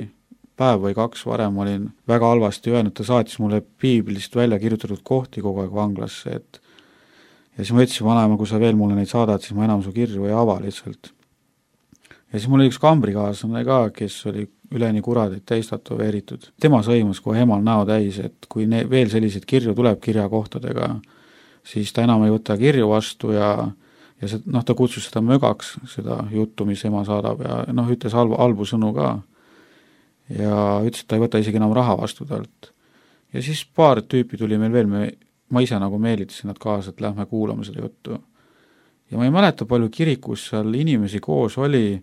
päev või kaks varem olin väga halvasti öelnud, ta saatis mulle piiblist välja kirjutatud kohti kogu aeg vanglasse, et ja siis ma ütlesin vanaema, kui sa veel mulle neid saadad, siis ma enam su kirju ei ava lihtsalt. Ja siis mul oli üks kambrikaaslane ka, kes oli üleni kuradid täis tatoveeritud. Tema sõimas kohe emal näo täis, et kui ne- veel selliseid kirju tuleb kirjakohtadega, siis ta enam ei võta kirju vastu ja, ja see, noh, ta kutsus seda mögaks, seda juttu, mis ema saadab ja noh, ütles halbu, halbu sõnu ka. Ja ütles, et ta ei võta isegi enam raha vastu talt. Ja siis paar tüüpi tuli meil veel, me ma ise nagu meelitasin nad kaasa, et lähme kuulama seda juttu. Ja ma ei mäleta, palju kirikus seal inimesi koos oli,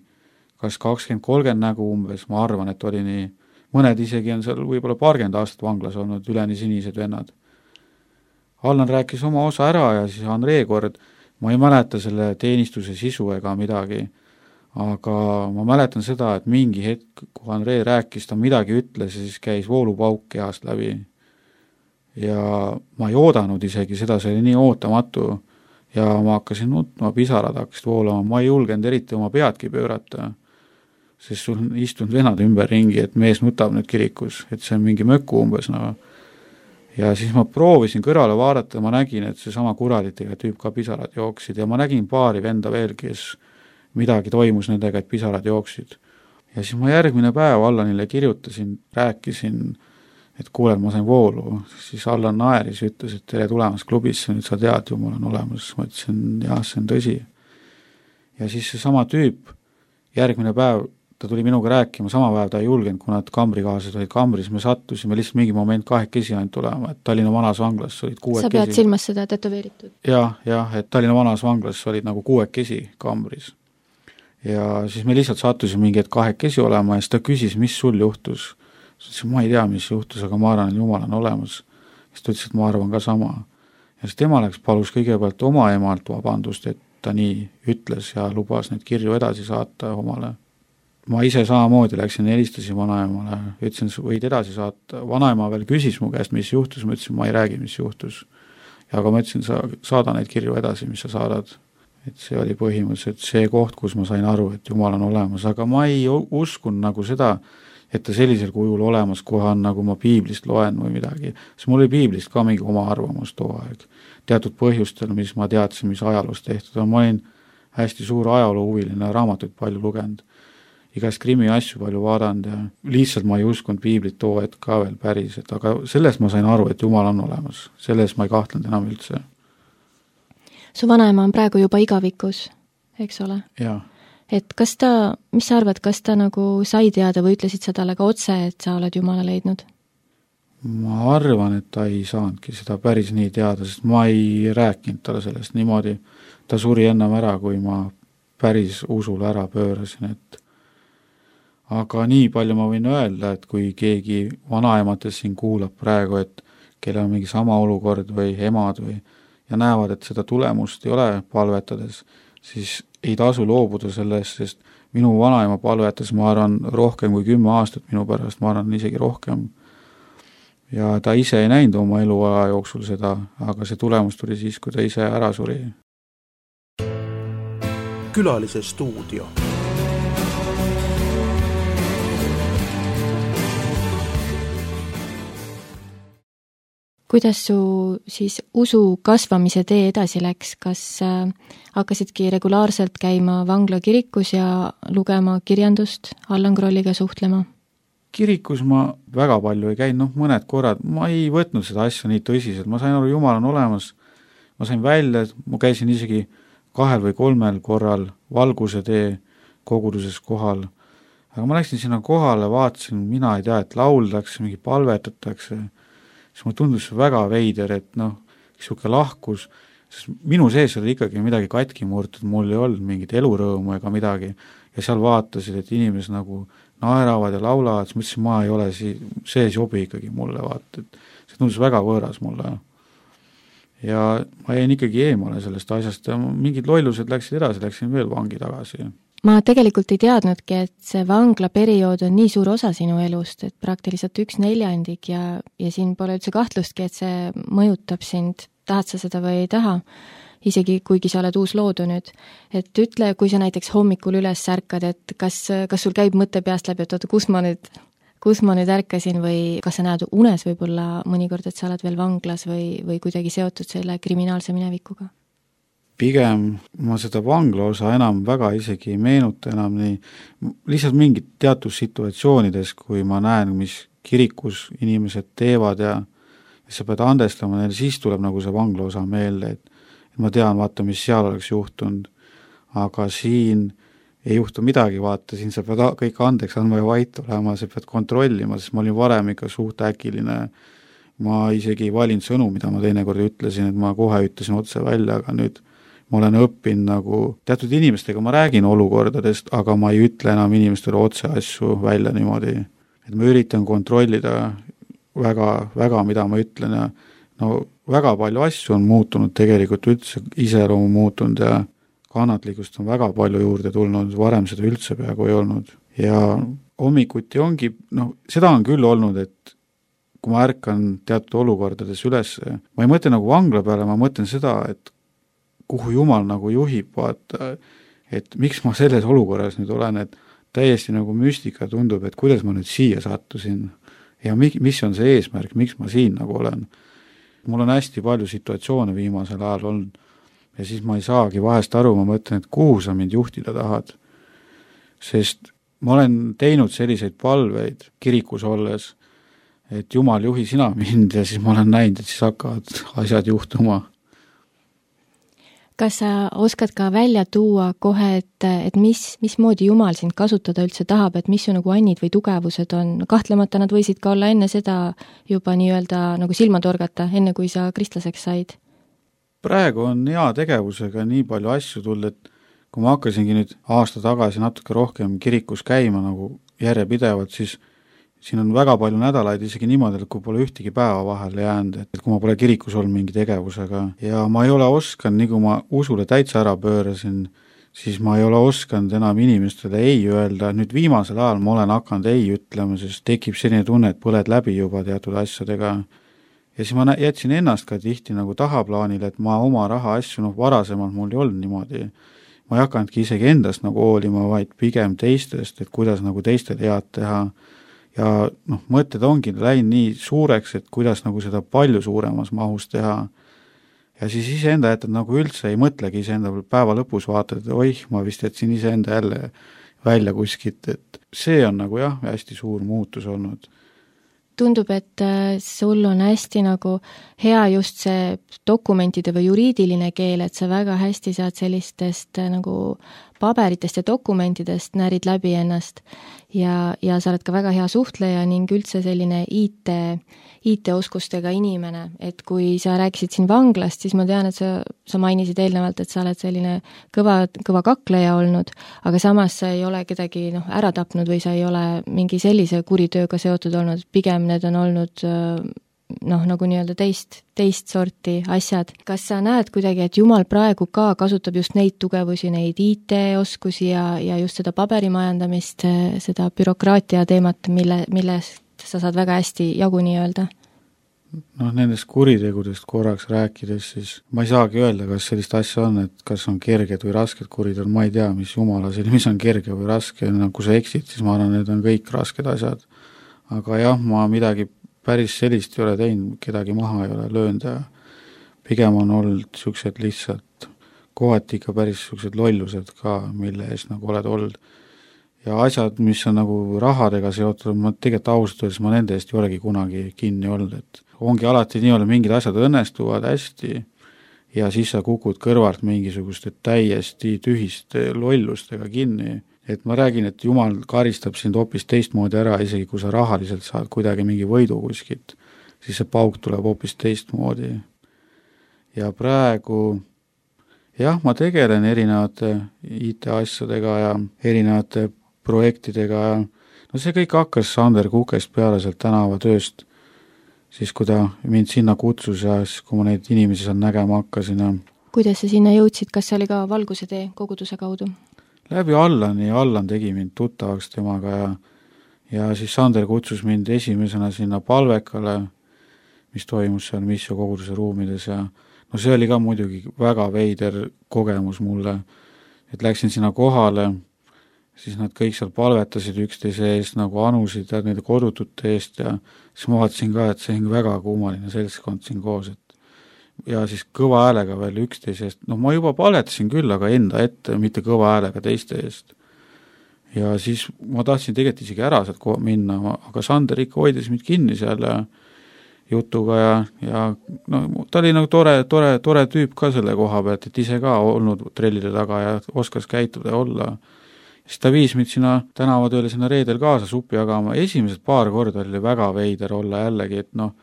kas kakskümmend kolmkümmend nägu umbes, ma arvan, et oli nii. Mõned isegi on seal võib-olla paarkümmend aastat vanglas olnud, üleni sinised vennad. Allan rääkis oma osa ära ja siis Andrei kord, ma ei mäleta selle teenistuse sisu ega midagi, aga ma mäletan seda, et mingi hetk, kui Andrei rääkis, ta midagi ütles ja siis käis voolupauk kehast läbi. Ja ma ei oodanud isegi seda, see oli nii ootamatu ja ma hakkasin nutma, pisarad hakkasid voolama, ma ei julgenud eriti oma peadki pöörata, sest sul on istunud venad ümber ringi, et mees nutab nüüd kirikus, et see on mingi möku umbes. No. Ja siis ma proovisin kõrvale vaadata, ma nägin, et see sama kuraditega tüüp ka pisarad jooksid ja ma nägin paari venda veel, kes midagi toimus nendega, et pisarad jooksid. Ja siis ma järgmine päev Allanile kirjutasin, rääkisin, et kuulen, ma sain voolu, siis Allan naeris, ütles, et tere tulemas klubisse, nüüd sa tead, Jumal on olemas, ma ütlesin, jah, see on tõsi. Ja siis see sama tüüp, järgmine päev, ta tuli minuga rääkima, sama päev ta ei julgenud, kuna kambrikaaslased olid kambris, me sattusime lihtsalt mingi moment kahekesi ainult tulema, et Tallinna vanas vanglas olid kuuekesi. Sa pead silmas seda tätoveeritud? Jah, jah, et Tallinna vanas vanglas olid nagu kuuekesi kambris. Ja siis me lihtsalt sattusime mingi et kahekesi olema ja siis ta küsis, mis sul juhtus. Siis ma ei tea, mis juhtus, aga ma arvan, et Jumal on olemas. Siis ta ütles, et ma arvan ka sama. Ja siis tema läks palus kõigepealt oma emalt vabandust, et ta nii ütles ja lubas neid kirju edasi saata omale. Ma ise samamoodi läksin, helistasin vanaemale, ütlesin, võid edasi saata. Vanaema veel küsis mu käest, mis juhtus, ma ütlesin, ma ei räägi, mis juhtus. Ja aga ma ütlesin, sa saada neid kirju edasi, mis sa saadad. Et see oli põhimõtteliselt see koht, kus ma sain aru, et Jumal on olemas, aga ma ei uskun nagu seda, et ta sellisel kujul olemas kohe on, nagu ma piiblist loen või midagi. Sest mul oli piiblist ka mingi oma arvamus too aeg. Teatud põhjustel, mis ma teadsin, mis ajaloos tehtud on. Ma olin hästi suur ajaloo huviline, raamatuid palju lugenud. Igast krimi asju palju vaadanud ja lihtsalt ma ei uskunud piiblit too hetk ka veel päris. Et aga selles ma sain aru, et Jumal on olemas. Selles ma ei kahtlenud enam üldse. Su vanaema on praegu juba igavikus, eks ole? Jaa. et kas ta, mis sa arvad, kas ta nagu sai teada või ütlesid sa talle ka otse, et sa oled Jumala leidnud? Ma arvan, et ta ei saanudki seda päris nii teada, sest ma ei rääkinud talle sellest niimoodi. Ta suri ennem ära, kui ma päris usule ära pöörasin, et aga nii palju ma võin öelda, et kui keegi vanaemates siin kuulab praegu, et kellel on mingi sama olukord või emad või ja näevad, et seda tulemust ei ole palvetades, siis ei tasu loobuda sellest, sest minu vanaema palvetas, ma arvan, rohkem kui kümme aastat minu pärast, ma arvan, isegi rohkem. Ja ta ise ei näinud oma eluaja jooksul seda, aga see tulemus tuli siis, kui ta ise ära suri. Külalise stuudio. Kuidas su siis usu kasvamise tee edasi läks? Kas äh, hakkasidki regulaarselt käima vangla kirikus ja lugema kirjandust, Allan Krolliga suhtlema? Kirikus ma väga palju ei käinud, noh mõned korrad, ma ei võtnud seda asja nii tõsiselt, ma sain aru, Jumal on olemas, ma sain välja, ma käisin isegi kahel või kolmel korral valguse tee koguduses kohal, aga ma läksin sinna kohale, vaatasin, mina ei tea, et lauldakse, mingi palvetatakse, siis mulle tundus väga veider, et noh, niisugune lahkus, sest minu sees oli ikkagi midagi katki murtud, mul ei olnud mingit elurõõmu ega midagi, ja seal vaatasid, et inimesed nagu naeravad ja laulavad, siis mõtlesin, ma ei ole si-, see sobi ikkagi mulle, vaata, et see tundus väga võõras mulle. Ja ma jäin ikkagi eemale sellest asjast ja mingid lollused läksid edasi, läksin veel vangi tagasi. Ma tegelikult ei teadnudki, et see vangla periood on nii suur osa sinu elust, et praktiliselt üks neljandik ja, ja siin pole üldse kahtlustki, et see mõjutab sind, tahad sa seda või ei taha, isegi kuigi sa oled uus loodu nüüd. Et ütle, kui sa näiteks hommikul üles ärkad, et kas, kas sul käib mõte peast läbi, et oota, kus ma nüüd, kus ma nüüd ärkasin või kas sa näed unes võib-olla mõnikord, et sa oled veel vanglas või, või kuidagi seotud selle kriminaalse minevikuga? Pigem ma seda vangla osa enam väga isegi ei meenuta enam nii, lihtsalt mingid teatud situatsioonides, kui ma näen, mis kirikus inimesed teevad ja, ja sa pead andestama neile, siis tuleb nagu see vangla osa meelde, et, et ma tean, vaata, mis seal oleks juhtunud, aga siin ei juhtu midagi, vaata, siin sa pead kõik andeks andma ja vait olema, sa pead kontrollima, sest ma olin varem ikka suht äkiline, ma isegi ei valinud sõnu, mida ma teinekord ütlesin, et ma kohe ütlesin otse välja, aga nüüd ma olen õppinud nagu, teatud inimestega ma räägin olukordadest, aga ma ei ütle enam inimestele otse asju välja niimoodi, et ma üritan kontrollida väga, väga, mida ma ütlen ja no väga palju asju on muutunud tegelikult, üldse iseloomu muutunud ja kannatlikust on väga palju juurde tulnud, varem seda üldse peaaegu ei olnud. Ja hommikuti ongi, noh, seda on küll olnud, et kui ma ärkan teatud olukordades üles, ma ei mõtle nagu vangla peale, ma mõtlen seda, et kuhu Jumal nagu juhib, vaata, et miks ma selles olukorras nüüd olen, et täiesti nagu müstika tundub, et kuidas ma nüüd siia sattusin ja mi, mis on see eesmärk, miks ma siin nagu olen. Mul on hästi palju situatsioone viimasel ajal olnud ja siis ma ei saagi vahest aru, ma mõtlen, et kuhu sa mind juhtida tahad. Sest ma olen teinud selliseid palveid kirikus olles, et Jumal juhi sina mind ja siis ma olen näinud, et siis hakkavad asjad juhtuma. Kas sa oskad ka välja tuua kohe, et, et mis, mismoodi Jumal sind kasutada üldse tahab, et mis su nagu annid või tugevused on? Kahtlemata nad võisid ka olla enne seda juba nii-öelda nagu silma torgata, enne kui sa kristlaseks said? Praegu on hea tegevusega nii palju asju tulnud, et kui ma hakkasingi nüüd aasta tagasi natuke rohkem kirikus käima nagu järjepidevalt, siis siin on väga palju nädalaid isegi niimoodi, et kui pole ühtegi päeva vahele jäänud, et kui ma pole kirikus olnud mingi tegevusega ja ma ei ole oskanud, nii kui ma usule täitsa ära pöörasin, siis ma ei ole oskanud enam inimestele ei öelda, nüüd viimasel ajal ma olen hakanud ei ütlema, sest tekib selline tunne, et põled läbi juba teatud asjadega ja siis ma jätsin ennast ka tihti nagu tahaplaanile, et ma oma raha asju, noh varasemalt mul ei olnud niimoodi, ma ei hakanudki isegi endast nagu hoolima, vaid pigem teistest, et kuidas nagu teistele head teha ja noh, mõtted ongi läinud nii suureks, et kuidas nagu seda palju suuremas mahus teha. Ja siis iseenda jätad nagu üldse ei mõtlegi iseenda päeva lõpus vaatad, et oih, ma vist jätsin iseenda jälle välja kuskilt, et see on nagu jah, hästi suur muutus olnud. tundub, et sul on hästi nagu hea just see dokumentide või juriidiline keel, et sa väga hästi saad sellistest nagu paberitest ja dokumentidest närid läbi ennast ja, ja sa oled ka väga hea suhtleja ning üldse selline I T, I T-oskustega inimene, et kui sa rääkisid siin vanglast, siis ma tean, et sa, sa mainisid eelnevalt, et sa oled selline kõva, kõva kakleja olnud, aga samas sa ei ole kedagi noh, ära tapnud või sa ei ole mingi sellise kuritööga seotud olnud, pigem need on olnud noh, nagu nii-öelda teist, teist sorti asjad. Kas sa näed kuidagi, et Jumal praegu ka kasutab just neid tugevusi, neid I T-oskusi ja, ja just seda paberimajandamist, seda bürokraatia teemat, mille, millest sa saad väga hästi jagu nii-öelda? Noh, nendest kuritegudest korraks rääkides, siis ma ei saagi öelda, kas sellist asja on, et kas on kerged või rasked kuritegud, ma ei tea, mis Jumala selle, mis on kerge või raske, no, kui sa eksid, siis ma arvan, need on kõik rasked asjad. Aga jah, ma midagi päris sellist ei ole teinud, kedagi maha ei ole löönud ja pigem on olnud siuksed lihtsalt, kohati ikka päris siuksed lollused ka, mille eest nagu oled olnud. Ja asjad, mis on nagu rahadega seotud, ma tegelikult ausalt öeldes ma nende eest ei olegi kunagi kinni olnud, et ongi alati nii olnud, mingid asjad õnnestuvad hästi ja siis sa kukud kõrvalt mingisuguste täiesti tühiste lollustega kinni. Et ma räägin, et Jumal karistab sind hoopis teistmoodi ära, isegi kui sa rahaliselt saad kuidagi mingi võidu kuskilt, siis see pauk tuleb hoopis teistmoodi. Ja praegu, jah, ma tegelen erinevate I T-asjadega ja erinevate projektidega ja no see kõik hakkas Sander Kukest peale sealt tänavatööst, siis kui ta mind sinna kutsus ja siis kui ma neid inimesi seal nägema hakkasin. Ja kuidas sa sinna jõudsid, kas see oli ka Valguse tee koguduse kaudu? Läbi Allani ja Allan tegi mind tuttavaks temaga ja, ja siis Sander kutsus mind esimesena sinna palvekale, mis toimus seal Missio koguduse ruumides ja no see oli ka muidugi väga veider kogemus mulle, et läksin sinna kohale, siis nad kõik seal palvetasid üksteise eest nagu anusid ja nende kodutute eest ja siis ma vaatasin ka, et see on väga kummaline seltskond siin koos, et ja siis kõva häälega veel üksteise eest, no ma juba palvetasin küll, aga enda ette, mitte kõva häälega teiste eest. Ja siis ma tahtsin tegelikult isegi ära sealt minna, aga Sander ikka hoidis mind kinni seal ja jutuga ja, ja no, ta oli nagu tore, tore, tore tüüp ka selle koha pealt, et ise ka olnud trellide taga ja oskas käituda ja olla. Siis ta viis mind sinna tänavatööle sinna reedel kaasa suppi jagama. Esimesed paar korda oli väga veider olla jällegi, et noh,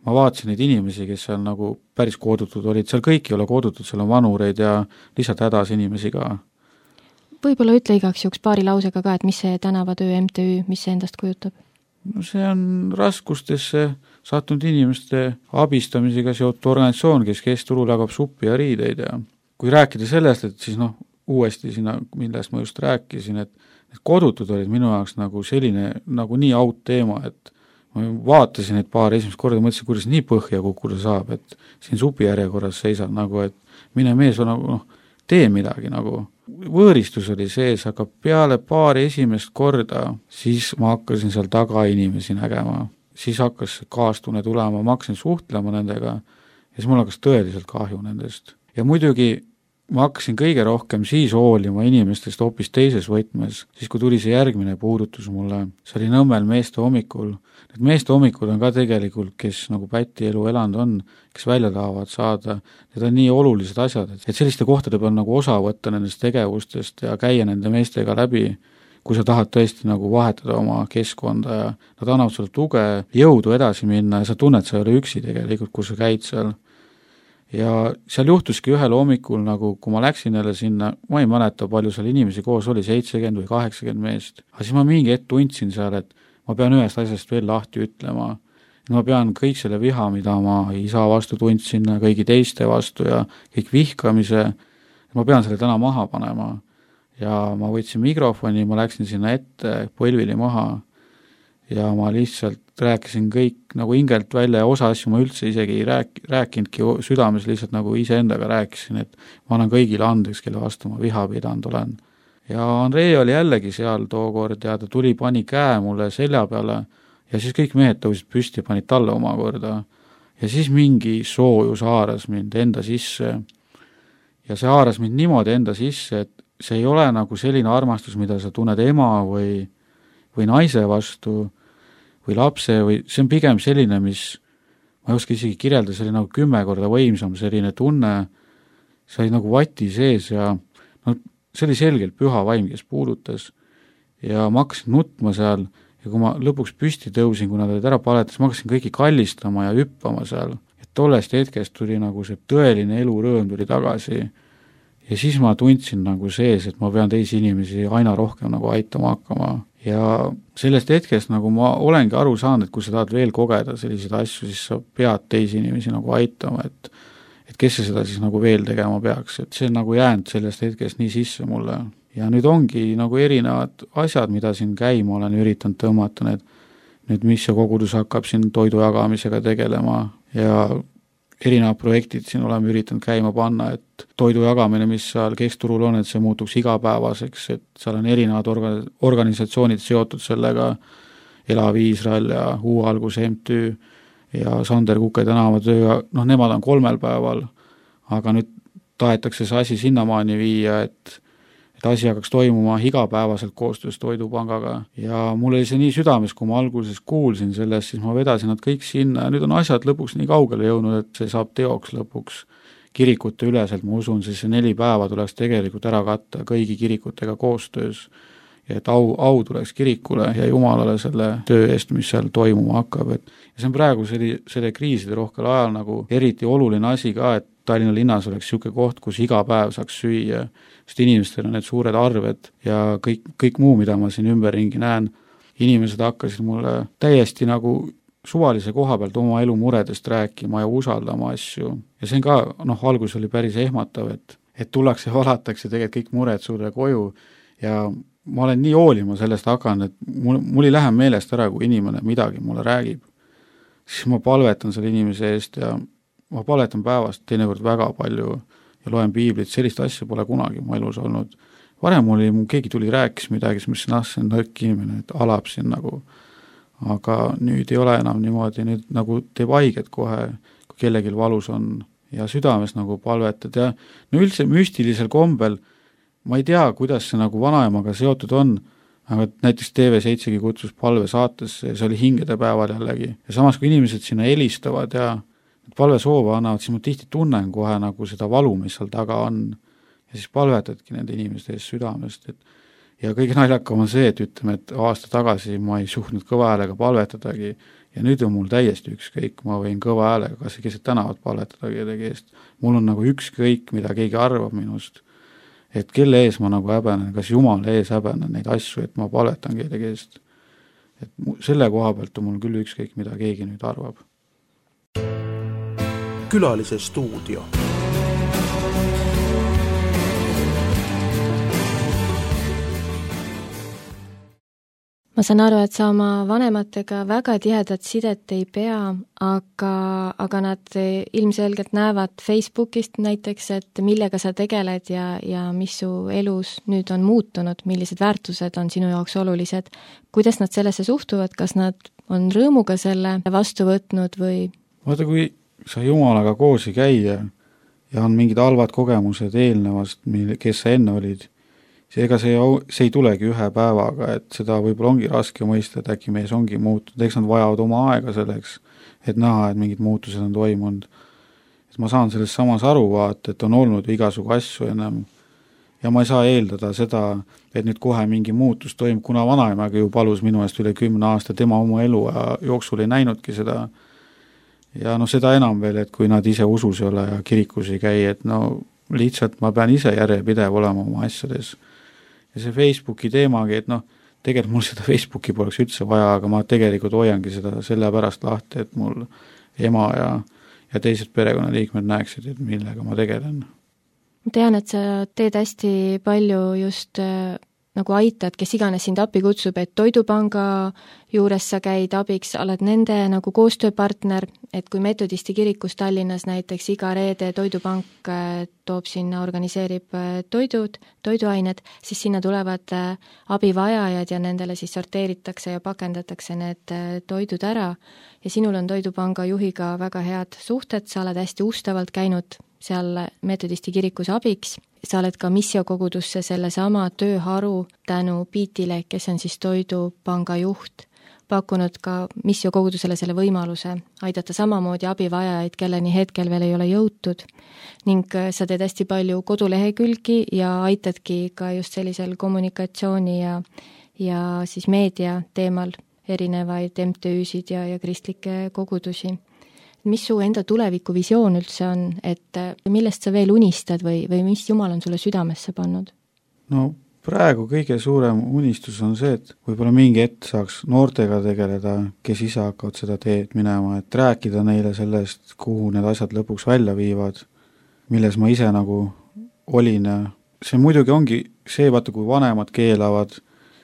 ma vaatasin neid inimesi, kes seal nagu päris kodutud olid, seal kõik ei ole kodutud, seal on vanureid ja lihtsalt hädas inimesi ka. Võib-olla ütle igaks juhuks paari lausega ka, et mis see tänavatöö M T Ü, mis see endast kujutab? No see on raskustesse sattunud inimeste abistamisega seotud organisatsioon, kes kesturul jagab suppi ja riideid ja kui rääkida sellest, et siis noh, uuesti sinna, millest ma just rääkisin, et need kodutud olid minu jaoks nagu selline, nagu nii out teema, et ma vaatasin neid paar esimest korda, mõtlesin, kuidas nii põhja kukkuda saab, et siin supi järjekorras seisab nagu, et mine mees on nagu, noh, tee midagi nagu. Võõristus oli sees, aga peale paari esimest korda, siis ma hakkasin seal taga inimesi nägema. Siis hakkas kaastunne tulema, ma hakkasin suhtlema nendega ja siis mul hakkas tõeliselt kahju nendest. Ja muidugi ma hakkasin kõige rohkem siis hoolima inimestest hoopis teises võtmes, siis kui tuli see järgmine puudutus mulle, see oli Nõmmel meeste hommikul. Need meeste hommikud on ka tegelikult, kes nagu Päti elu elanud on, kes välja tahavad saada, need on nii olulised asjad, et selliste kohtade peal nagu osa võtta nendest tegevustest ja käia nende meestega läbi, kui sa tahad tõesti nagu vahetada oma keskkonda ja nad annavad sulle tuge, jõudu edasi minna ja sa tunned, sa ei ole üksi tegelikult, kui sa käid seal. Ja seal juhtuski ühel hommikul, nagu kui ma läksin jälle sinna, ma ei mäleta, palju seal inimesi koos oli, seitsekümmend või kaheksakümmend meest. Aga siis ma mingi hetk tundsin seal, et ma pean ühest asjast veel lahti ütlema. Ma pean kõik selle viha, mida ma isa vastu tundsin, kõigi teiste vastu ja kõik vihkamise, ma pean selle täna maha panema. Ja ma võtsin mikrofoni, ma läksin sinna ette, põlvili maha ja ma lihtsalt rääkisin kõik nagu hingelt välja ja osa asju ma üldse isegi ei rääk, rääkinudki südames, lihtsalt nagu ise endaga rääkisin, et ma olen kõigile andeks, kelle vastu ma viha pidanud olen. Ja Andrei oli jällegi seal tookord ja ta tuli, pani käe mulle selja peale ja siis kõik mehed tõusid püsti ja panid talle omakorda. Ja siis mingi soojus haaras mind enda sisse ja see haaras mind niimoodi enda sisse, et see ei ole nagu selline armastus, mida sa tunned ema või, või naise vastu, või lapse või see on pigem selline, mis ma ei oska isegi kirjelda, see oli nagu kümme korda võimsam selline tunne, see oli nagu vati sees ja no see oli selgelt püha vaim, kes puudutas ja ma hakkasin nutma seal ja kui ma lõpuks püsti tõusin, kui nad olid ära paletas, ma hakkasin kõiki kallistama ja hüppama seal, et tollest hetkest tuli nagu see tõeline elurõõm tuli tagasi ja siis ma tundsin nagu sees, et ma pean teisi inimesi aina rohkem nagu aitama hakkama ja sellest hetkest nagu ma olengi aru saanud, et kui sa tahad veel kogeda selliseid asju, siis sa pead teisi inimesi nagu aitama, et et kes see seda siis nagu veel tegema peaks, et see on nagu jäänud sellest hetkest nii sisse mulle ja nüüd ongi nagu erinevad asjad, mida siin käima olen üritanud tõmmata, need nüüd mis see kogudus hakkab siin toidu jagamisega tegelema ja erinevad projektid siin oleme üritanud käima panna, et toidu jagamine, mis seal keskturul on, et see muutuks igapäevaseks, et seal on erinevad orga-, organisatsioonid seotud sellega, Elav Iisrael ja Uue Alguse M T Ü ja Sander Kuke tänavatöö, noh, nemad on kolmel päeval, aga nüüd tahetakse see asi sinnamaani viia, et et asi hakkaks toimuma igapäevaselt koostöös Toidupangaga ja mul oli see nii südames, kui ma alguses kuulsin sellest, siis ma vedasin nad kõik sinna ja nüüd on asjad lõpuks nii kaugele jõudnud, et see saab teoks lõpuks kirikute üleselt, ma usun, siis see neli päeva tuleks tegelikult ära katta kõigi kirikutega koostöös ja et au, au tuleks kirikule ja Jumalale selle töö eest, mis seal toimuma hakkab, et ja see on praegu selle, selle kriiside rohkel ajal nagu eriti oluline asi ka, et Tallinna linnas oleks niisugune koht, kus iga päev saaks süüa, sest inimestel on need suured arved ja kõik, kõik muu, mida ma siin ümberringi näen, inimesed hakkasid mulle täiesti nagu suvalise koha pealt oma elu muredest rääkima ja usaldama asju. Ja see on ka, noh, algus oli päris ehmatav, et, et tullakse ja valatakse tegelikult kõik mured sulle koju ja ma olen nii hoolima sellest hakanud, et mul, mul ei lähe meelest ära, kui inimene midagi mulle räägib. Siis ma palvetan selle inimese eest ja ma palvetan päevast teinekord väga palju ja loen piiblit, sellist asja pole kunagi mu elus olnud. Varem oli, mu keegi tuli rääkis midagi, siis mõtlesin, ah, see on nõrk inimene, et alab siin nagu, aga nüüd ei ole enam niimoodi, nüüd nagu teeb haiget kohe, kui kellelgi valus on ja südames nagu palvetad ja no üldse müstilisel kombel, ma ei tea, kuidas see nagu vanaemaga seotud on, aga näiteks T V seitsegi kutsus palve saatesse ja see oli hingede päeval jällegi ja samas kui inimesed sinna helistavad ja palve soova annavad, siis ma tihti tunnen kohe nagu seda valu, mis seal taga on ja siis palvetadki nende inimeste eest südamest, et ja kõige naljakam on see, et ütleme, et aasta tagasi ma ei suhtnud kõva häälega palvetadagi ja nüüd on mul täiesti ükskõik, ma võin kõva häälega kas keset tänavat palvetada kellegi eest, mul on nagu ükskõik, mida keegi arvab minust, et kelle ees ma nagu häbenen, kas Jumala ees häbenen neid asju, et ma palvetan kellegi eest, et selle koha pealt on mul küll ükskõik, mida keegi nüüd arvab. Külalise stuudio. Ma saan aru, et sa oma vanematega väga tihedat sidet ei pea, aga, aga nad ilmselgelt näevad Facebookist näiteks, et millega sa tegeled ja, ja mis su elus nüüd on muutunud, millised väärtused on sinu jaoks olulised. Kuidas nad sellesse suhtuvad, kas nad on rõõmuga selle vastu võtnud või? Vaata, kui sa Jumalaga koos ei käi ja, ja on mingid halvad kogemused eelnevast, kes sa enne olid, siis ega see, see ei tulegi ühe päevaga, et seda võib-olla ongi raske mõista, et äkki mees ongi muutunud, eks nad vajavad oma aega selleks, et näha, et mingid muutused on toimunud. Et ma saan sellest samas aru vaata, et on olnud igasugu asju ennem ja ma ei saa eeldada seda, et nüüd kohe mingi muutus toimub, kuna vanaemaga ju palus minu eest üle kümne aasta, tema oma elu jooksul ei näinudki seda. Ja no seda enam veel, et kui nad ise usus ei ole ja kirikus ei käi, et no lihtsalt ma pean ise järjepidev olema oma asjades. Ja see Facebooki teemagi, et noh, tegelikult mul seda Facebooki poleks üldse vaja, aga ma tegelikult hoiangi seda selle pärast lahti, et mul ema ja, ja teised perekonnaliikmed näeksid, et millega ma tegelen. Ma tean, et sa teed hästi palju just äh, nagu aitad, kes iganes sind appi kutsub, et Toidupanga juures sa käid abiks, oled nende nagu koostööpartner, et kui Metodisti kirikus Tallinnas näiteks iga reede Toidupank toob sinna, organiseerib toidud, toiduained, siis sinna tulevad abivajajad ja nendele siis sorteeritakse ja pakendatakse need toidud ära ja sinul on Toidupanga juhiga väga head suhted, sa oled hästi ustavalt käinud seal Metodisti kirikus abiks. Sa oled ka missiokogudusse selle sama tööharu tänu Piitile, kes on siis Toidupanga juht, pakkunud ka missiokogudusele selle võimaluse aidata samamoodi abivajajaid, kelleni hetkel veel ei ole jõutud, ning sa teed hästi palju kodulehekülgi ja aitadki ka just sellisel kommunikatsiooni ja, ja siis meedia teemal erinevaid M T Üsid ja, ja kristlikke kogudusi. Mis su enda tulevikuvisioon üldse on, et millest sa veel unistad või, või mis Jumal on sulle südamesse pannud? No praegu kõige suurem unistus on see, et võib-olla mingi hetk saaks noortega tegeleda, kes ise hakkavad seda teed minema, et rääkida neile sellest, kuhu need asjad lõpuks välja viivad, milles ma ise nagu olin. See muidugi ongi see, vaata, kui vanemad keelavad,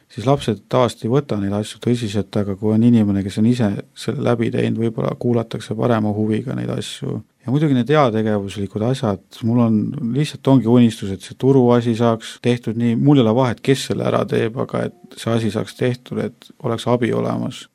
siis lapsed tavaliselt ei võta neid asju tõsiselt, aga kui on inimene, kes on ise selle läbi teinud, võib-olla kuulatakse parema huviga neid asju. Ja muidugi need heategevuslikud asjad, mul on lihtsalt ongi unistus, et see turuasi saaks tehtud nii, mul ei ole vahet, kes selle ära teeb, aga et see asi saaks tehtud, et oleks abi olemas.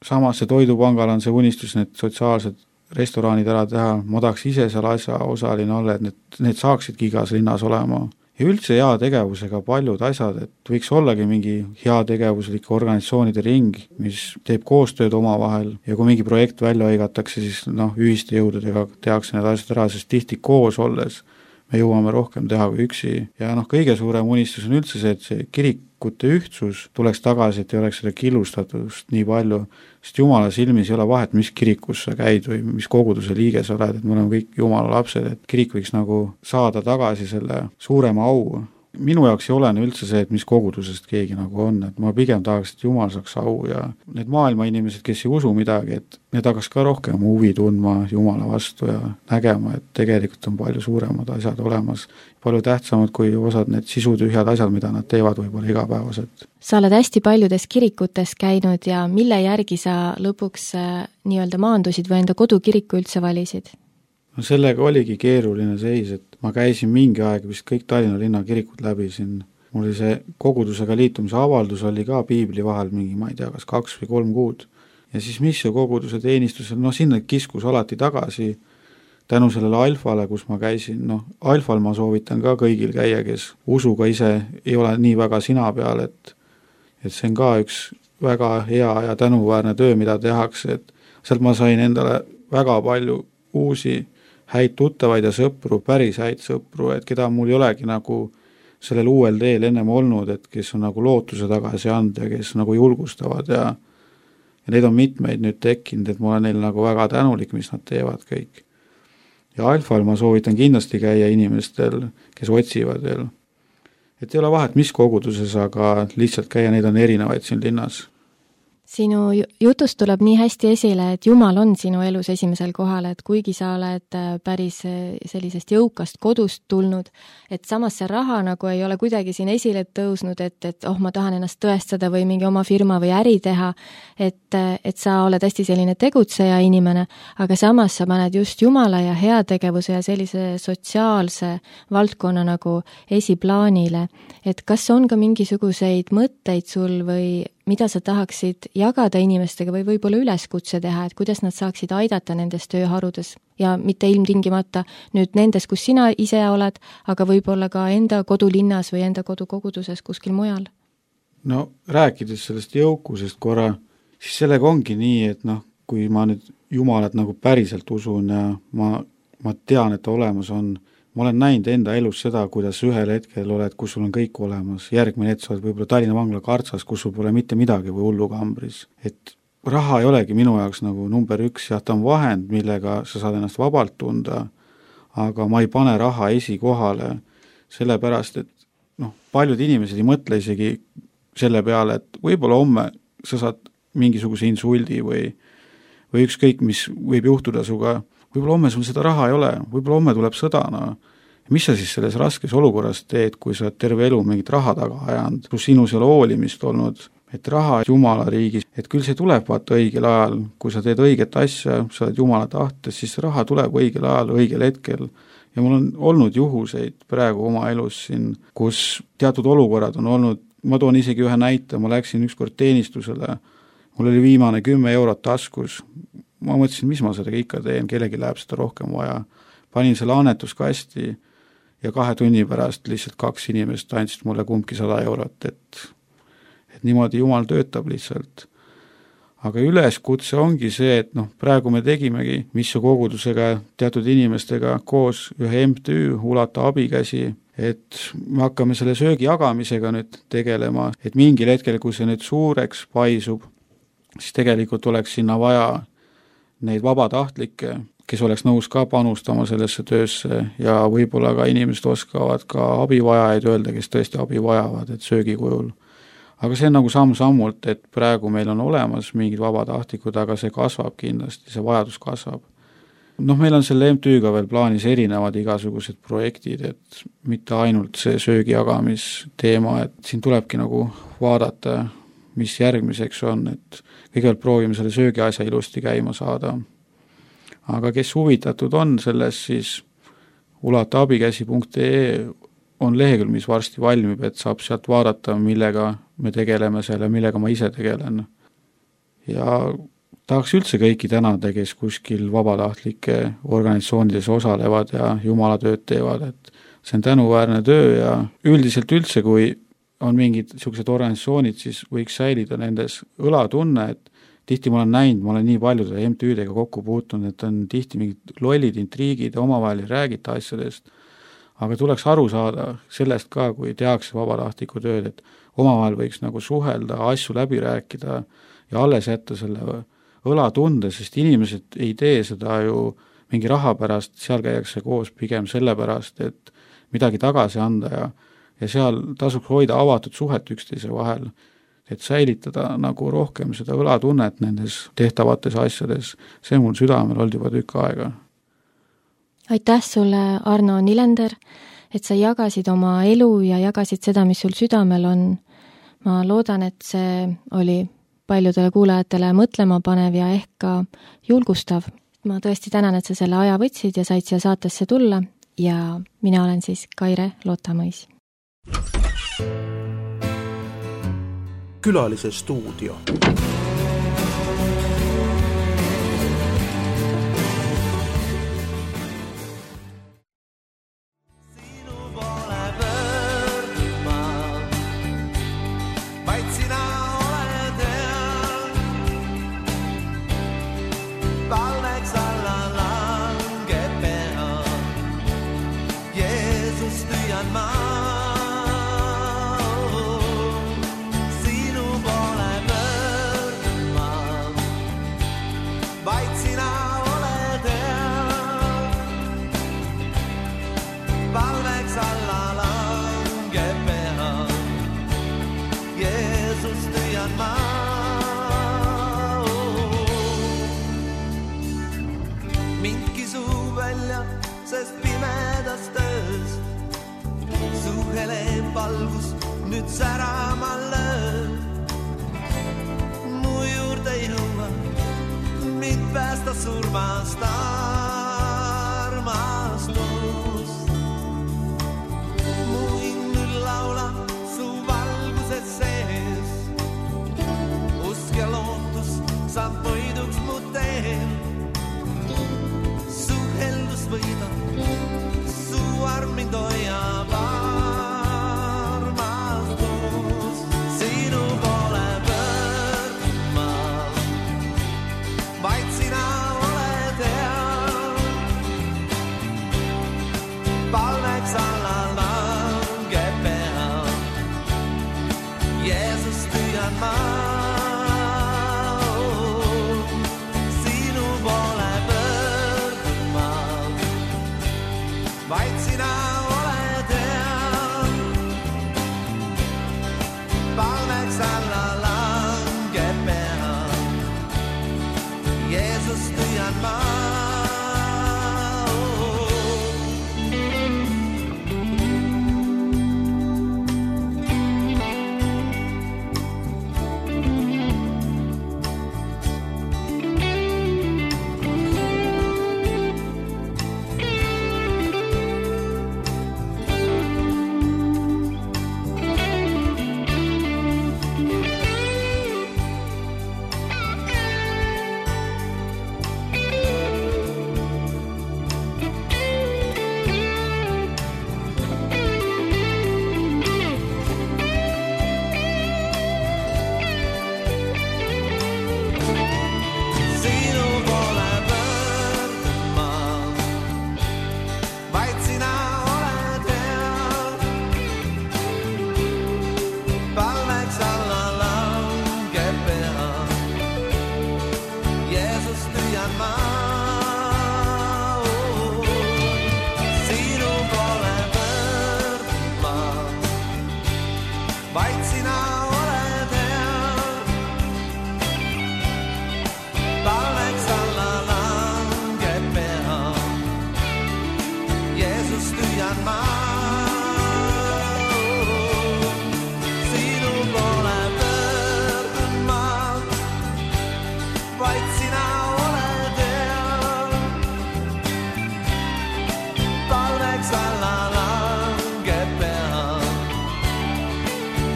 Samas see Toidupangal on see unistus, need sotsiaalsed restoranid ära teha, ma tahaks ise seal asja osaline olla, et need, need saaksidki igas linnas olema. Ja üldse hea tegevusega paljud asjad, et võiks ollagi mingi hea tegevuslike organisatsioonide ring, mis teeb koostööd omavahel ja kui mingi projekt välja hõigatakse, siis noh, ühiste jõududega tehakse need asjad ära, sest tihti koos olles me jõuame rohkem teha kui üksi. Ja noh, kõige suurem unistus on üldse see, et see kirikute ühtsus tuleks tagasi, et ei oleks seda killustatust nii palju, sest Jumala silmis ei ole vahet, mis kirikus sa käid või mis koguduse liige sa oled, et me oleme kõik Jumala lapsed, et kirik võiks nagu saada tagasi selle suurema au. Minu jaoks ei ole üldse see, et mis kogudusest keegi nagu on, et ma pigem tahaks, et Jumal saaks au ja need maailma inimesed, kes ei usu midagi, et need hakkaks ka rohkem huvi tundma Jumala vastu ja nägema, et tegelikult on palju suuremad asjad olemas, palju tähtsamad kui osad need sisutühjad asjad, mida nad teevad võib-olla igapäevaselt. Sa oled hästi paljudes kirikutes käinud ja mille järgi sa lõpuks nii-öelda maandusid või enda kodukiriku üldse valisid? No sellega oligi keeruline seis, et ma käisin mingi aeg vist kõik Tallinna linna kirikut läbi siin. Mul oli see kogudusega liitumise avaldus oli ka piibli vahel mingi, ma ei tea, kas kaks või kolm kuud. Ja siis missio koguduse teenistusel, noh sinna kiskus alati tagasi tänu sellele alfale, kus ma käisin. Noh, alfal ma soovitan ka kõigil käia, kes usuga ise ei ole nii väga sina peal, et, et see on ka üks väga hea ja tänuväärne töö, mida tehakse, et sealt ma sain endale väga palju uusi häid tuttavaid ja sõpru, päris häid sõpru, et keda mul ei olegi nagu sellel uuel teel ennem olnud, et kes on nagu lootuse tagasi anda ja kes nagu julgustavad ja, ja neid on mitmeid nüüd tekkinud, et ma olen neil nagu väga tänulik, mis nad teevad kõik. Ja alfal ma soovitan kindlasti käia inimestel, kes otsivad veel. Et ei ole vahet, mis koguduses, aga lihtsalt käia, neid on erinevaid siin linnas. Sinu jutust tuleb nii hästi esile, et Jumal on sinu elus esimesel kohal, et kuigi sa oled päris sellisest jõukast kodust tulnud, et samas see raha nagu ei ole kuidagi siin esile tõusnud, et, et oh, ma tahan ennast tõestada või mingi oma firma või äri teha, et, et sa oled hästi selline tegutseja inimene, aga samas sa paned just Jumala ja heategevuse ja sellise sotsiaalse valdkonna nagu esiplaanile, et kas on ka mingisuguseid mõtteid sul või mida sa tahaksid jagada inimestega või võib-olla üleskutse teha, et kuidas nad saaksid aidata nendes tööharudes ja mitte ilmtingimata nüüd nendes, kus sina ise oled, aga võib-olla ka enda kodulinnas või enda kodukoguduses kuskil mujal? No rääkides sellest jõukusest korra, siis sellega ongi nii, et noh, kui ma nüüd Jumalat nagu päriselt usun ja ma, ma tean, et ta olemas on, ma olen näinud enda elus seda, kuidas ühel hetkel oled, kus sul on kõik olemas, järgmine hetk sa oled võib-olla Tallinna vangla kartsas, kus sul pole mitte midagi või hullukambris. Et raha ei olegi minu jaoks nagu number üks, jah, ta on vahend, millega sa saad ennast vabalt tunda, aga ma ei pane raha esikohale, sellepärast, et noh, paljud inimesed ei mõtle isegi selle peale, et võib-olla homme sa saad mingisuguse insuldi või, või ükskõik, mis võib juhtuda suga, võib-olla homme sul seda raha ei ole, võib-olla homme tuleb sõda, no. Mis sa siis selles raskes olukorras teed, kui sa oled terve elu mingit raha taga ajanud, kus sinus ei ole hoolimist olnud, et raha Jumala riigis, et küll see tuleb vaata õigel ajal, kui sa teed õiget asja, sa oled Jumala tahtes, siis raha tuleb õigel ajal, õigel hetkel. Ja mul on olnud juhuseid praegu oma elus siin, kus teatud olukorrad on olnud, ma toon isegi ühe näite, ma läksin ükskord teenistusele, mul oli viimane kümme eurot taskus, ma mõtlesin, mis ma sellega ikka teen, kellegi läheb seda rohkem vaja. Panin selle annetuskasti ja kahe tunni pärast lihtsalt kaks inimest andsid mulle kumbki sada eurot, et, et niimoodi Jumal töötab lihtsalt. aga üleskutse ongi see, et noh, praegu me tegimegi missu kogudusega teatud inimestega koos ühe M T Ü Ulata abikäsi, et me hakkame selle söögi jagamisega nüüd tegelema, et mingil hetkel, kui see nüüd suureks paisub, siis tegelikult oleks sinna vaja neid vabatahtlikke, kes oleks nõus ka panustama sellesse töösse ja võib-olla ka inimesed oskavad ka abivajajaid öelda, kes tõesti abi vajavad, et söögi kujul. Aga see on nagu samm-sammult, et praegu meil on olemas mingid vabatahtlikud, aga see kasvab kindlasti, see vajadus kasvab. Noh, meil on selle M T Ü-ga veel plaanis erinevad igasugused projektid, et mitte ainult see söögi jagamisteema, et siin tulebki nagu vaadata, mis järgmiseks on, et kõigepealt proovime selle söögi asja ilusti käima saada. Aga kes huvitatud on selles, siis ulata abikäsi punkt ee on lehekülg, mis varsti valmib, et saab sealt vaadata, millega me tegeleme selle, millega ma ise tegelen. Ja tahaks üldse kõiki tänada, kes kuskil vabatahtlike organisatsioonides osalevad ja jumalatööd teevad, et see on tänuväärne töö ja üldiselt üldse, kui on mingid sellised organisatsioonid, siis võiks säilida nendes õlatunne, et tihti ma olen näinud, ma olen nii paljude M T Ü-dega kokku puutunud, et on tihti mingid lollid intriigid ja omavahel ei räägita asjadest, aga tuleks aru saada sellest ka, kui tehakse vabatahtliku tööd, et omavahel võiks nagu suhelda, asju läbi rääkida ja alles jätta selle õlatunde, sest inimesed ei tee seda ju mingi raha pärast, seal käiakse koos pigem selle pärast, et midagi tagasi anda ja, ja seal tasuks hoida avatud suhet üksteise vahel, et säilitada nagu rohkem seda õlatunnet nendes tehtavates asjades. See mul südamel olnud juba tükk aega. Aitäh sulle, Arno Nilender, et sa jagasid oma elu ja jagasid seda, mis sul südamel on. Ma loodan, et see oli paljudele kuulajatele mõtlema panev ja ehk ka julgustav. Ma tõesti tänan, et sa selle aja võtsid ja said siia saatesse tulla ja mina olen siis Kaire Lootamõis. Külalise stuudio. Valgus nüüd särama löö. Mu juurde jõua, mind päästa surmast armastus. Mu hing nüüd laula su valguses sees. Usk ja lootus saab võiduks mu teel. Su heldus võidab, su arm mind hoiab.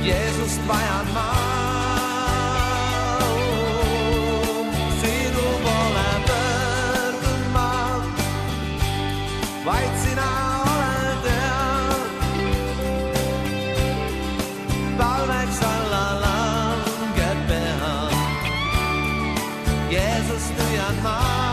Jeesust vajan ma. Sinu poole pöördun ma, vaid sina oled hea. Talveks alla langeb pea. Jeesust hüüan ma.